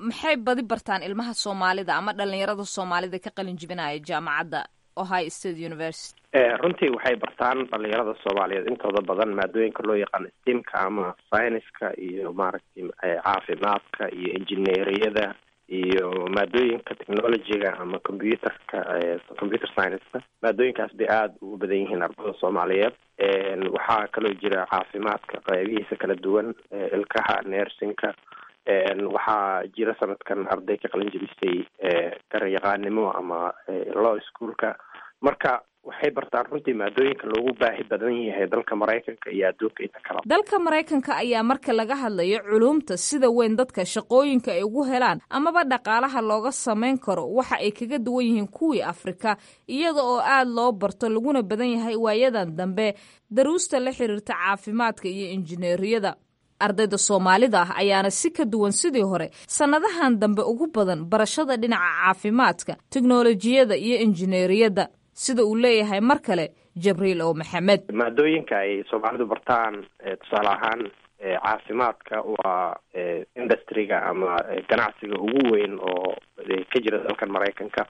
maxay badi bartaan ilmaha Soomaalida ama dhalinyarada Soomaalida ka qalin jibinaya jaamacadda Ohio State University? Runtii waxay bartaan dhalinyarada Soomaaliyeed intooda badan maadooyinka loo yaqaano STEM-ka ama scienceska iyo maaragtay caafimaadka iyo engineeriyada iyo maadooyinka technologyga ama computerka, computer science-ka. Maadooyinkaas bay aada ugu badan yihiin ardada Soomaaliyeed. Waxaa kaloo jira caafimaadka qaybihiisa kala duwan, ilkaha, nursingka. Waxaa jira sanadkan arday ka qalin jabisay garyaqaanimo ama law schoolka. Marka waxay bartaan runtii maadooyinka loogu baahi badan yahay dalka Maraykanka iyo adduunka inta kale. Dalka Maraykanka ayaa marka laga hadlayo culuumta sida weyn dadka shaqooyinka ay ugu helaan amaba dhaqaalaha looga samayn karo, waxa ay kaga duwan yihiin kuwii Afrika, iyada oo aad loo barto laguna badan yahay waayadan dambe daruusta la xiriirta caafimaadka iyo injineeriyada. Ardayda Soomaalida ah ayaana si ka duwan sidii hore sannadahan dambe ugu badan barashada dhinaca caafimaadka, teknolojiyada iyo injineeriyadda, sida uu leeyahay mar kale Jabriil O Maxamed. Maadooyinka ay Soomaalidu bartaan, tusaale ahaan caafimaadka, waa industryga ama ganacsiga ugu weyn oo ka jira dalkan Maraykanka.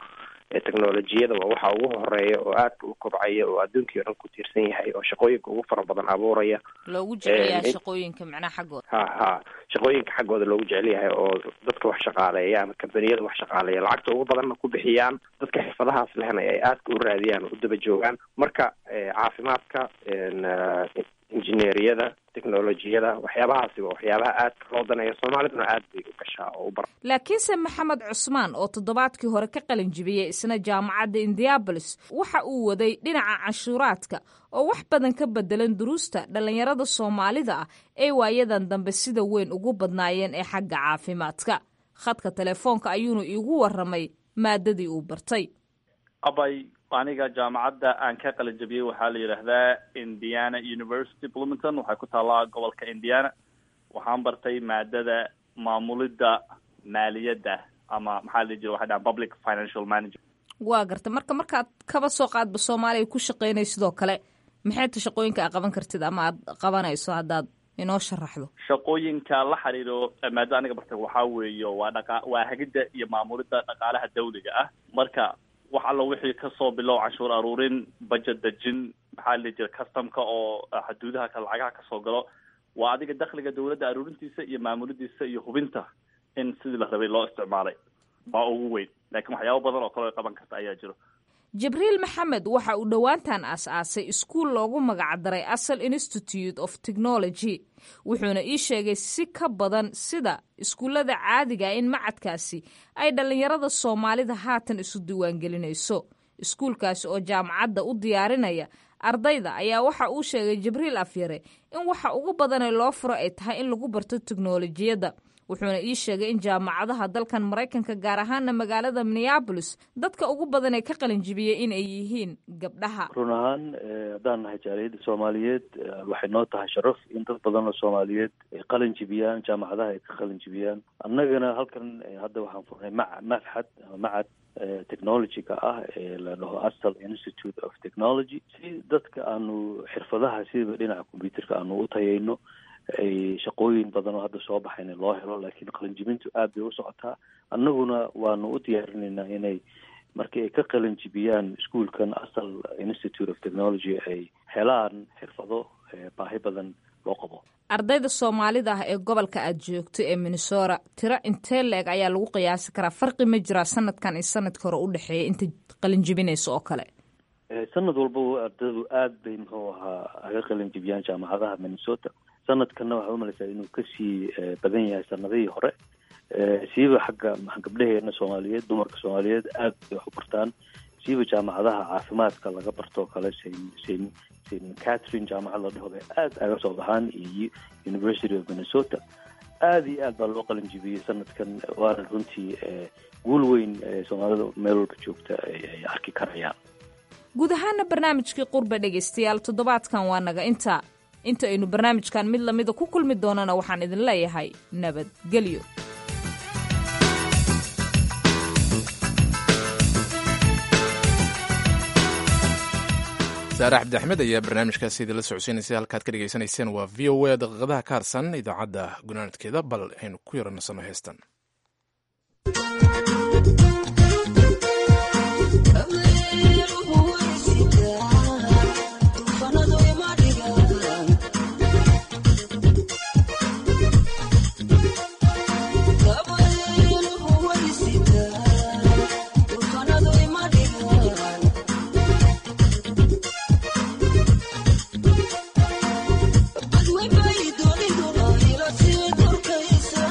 Technolojiyada waa waxa ugu horeeya oo aadka u kobcaya oo adduunkii o dhan ku tiirsan yahay oo shaqooyinka ugu fara badan abuuraya. Loogu jecel yahay shaqooyinka macnaha xaggooda. Ha ha, shaqooyinka xaggooda loogu jecel yahay oo dadka wax shaqaaleeya ama kambaniyada wax shaqaaleeya lacagta ugu badanna ku bixiyaan, dadka xirfadahaas lehna ay aadka u raadiyaan oo u daba joogaan. Marka caafimaadka, injineeriyada, technolojiyada, waxyaabahaasi waa waxyaabaha aadka loo daneeyo. Soomaaliduna aad bay u gashaa oo u bar. Laakiinse Maxamed Cusmaan oo toddobaadkii hore ka qalin jibiyey isna jaamacadda Indianapolis waxa uu waday dhinaca canshuuraadka oo wax badan ka bedelan duruusta dhallinyarada Soomaalida ah ee waayadan dambe sida weyn ugu badnaayeen ee xagga caafimaadka. Khadka telefoonka ayuuna iigu warramay maadadii uu bartay. Abay, aniga jaamacadda aan ka qalin jabiyey waxaa la yidhaahdaa Indiana University Bloomington, waxay ku taallaa gobolka Indiana. Waxaan bartay maadada maamulidda maaliyadda ama maxaa la dhihi jira, waxay dhahaan public financial manager. Waa garta. Marka markaad kaba soo qaadba Soomaaliya ku shaqaynay sidoo kale, maxay ta shaqooyinka aad qaban kartid ama aad qabanayso haddaad inoo sharaxdo? Shaqooyinka la xiriiro maadada aniga bartay waxaa weeye waa dhaqa waa hagidda iyo maamulidda dhaqaalaha dawliga ah. Marka wax allo wixii kasoo bilow canshuur aruurin, budget dejin, maxaa la dhihi jira, customka oo xuduudaha ka lacagaha kasoo galo, waa adiga dakhliga dawladda aruurintiisa iyo maamulidiisa iyo hubinta in sidii la rabay loo isticmaalay baa ugu weyn, laakiin waxyaabo badan oo kale oo qaban karta ayaa jiro. Jibriil Maxamed waxa uu dhowaantan aas-aasay iskuul loogu magacdaray Asal Institute of Technology, wuxuuna ii sheegay si ka badan sida iskuullada caadiga in macadkaasi ay dhallinyarada Soomaalida haatan isu diiwaangelinayso. Iskuulkaasi oo jaamacadda u diyaarinaya ardayda ayaa waxa uu sheegay Jibriil Afyare in waxa ugu badanee loo furo ay tahay in lagu barto teknolojiyadda, wuxuuna ii sheegay in jaamacadaha dalkan Maraykanka, gaar ahaana magaalada Minneapolis, dadka ugu badan ee ka qalin jibiyey in ay yihiin gabdhaha. Run ahaan, haddaan nahay jaaliyadda Soomaaliyeed, waxay noo tahay sharaf in dad badan oo Soomaaliyeed ay qalin jibiyaan, jaamacadaha ay ka qalin jibiyaan. Annagana halkan hadda waxaan furnay ma machad ama macad technology-ga ah ee la dhaho Asal Institute of Technology, si dadka aanu xirfadaha sidaba dhinaca computerka aanu u tayayno, ay shaqooyin badan oo hadda soo baxayna loo helo. Laakiin qalinjibintu aad bay u socotaa, annaguna waanu u diyaarinaynaa inay markii ay ka qalin jibiyaan iskuolkan Asal Institute of Technology ay helaan xirfado baahi badan loo qabo. Ardayda Soomaalida ah ee gobolka aad joogto ee Minnesota, tiro intee la-eg ayaa lagu qiyaasi karaa? Farqi ma jiraa sanadkan iyo sanadka hore u dhexeeya inta qalin jibinaysa oo kale? Sanad walba ardaydu aad bay muxuu ahaa aga qalin jibiyaan jaamacadaha Minnesota. Sanadkanna waxaa umalaysaa inuu kasii badan yahay sanadihii hore, siiba xagga gabdhaheena Soomaaliyeed. Dumarka Soomaaliyeed aad bay wax u bartaan, siiba jaamacadaha caafimaadka laga bartoo kale, Saint Saint Catherine jaamacad la dhaho bay aad aga soo baxaan iyo University of Minnesota. Aada iyo aad baa loo qalin jibiyey sanadkan, waana runtii guul weyn Soomaalida meel walba joogta ay arki karayaan. Guud ahaana barnaamijkii Qurba, dhegaystayaal, toddobaadkan waa naga intaa. Inta aynu barnaamijkan mid lamida ku kulmi doonana, waxaan idin leeyahay nabadgelyo. Saare Cabdi Axmed ayaa barnaamijkaasi idinla socodsiinaysay. Halkaad ka dhegaysanayseen waa V O A. Daqiiqadaha ka harsan idaacadda gunaanadkeeda, bal aynu ku yaranasano heestan. Dooniduna ila sii durkaysa.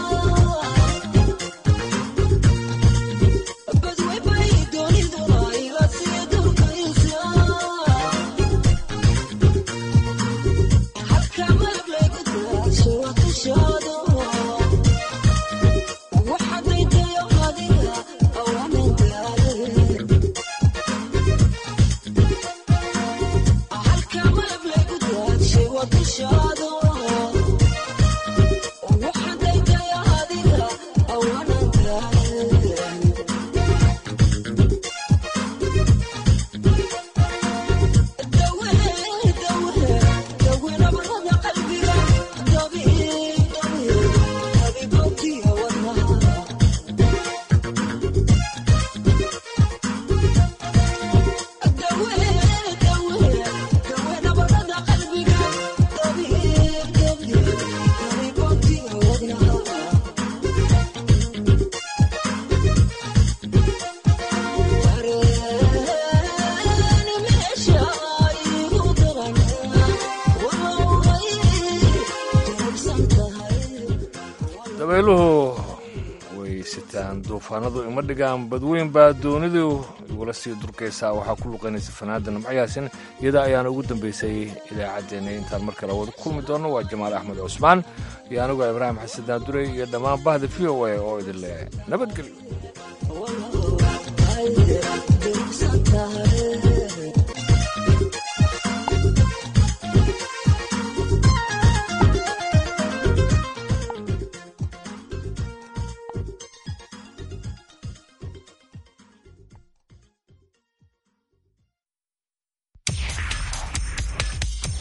Dabayluhu way sitaan, duufaanadu ima dhigaan, badweyn baa doonidu igula sii durkaysaa. Waxaa ku luqaynaysa fanaada Nimcayaasin. Iyada ayaana ugu dambaysay idaacaddeenna. Intaan mar kale wada kulmi doonno, waa Jamaal Axmed Cusmaan iyo anigoo Ibraahim Xasan Daandurey iyo dhammaan bahda V O A oo idin leh nabadgelyo.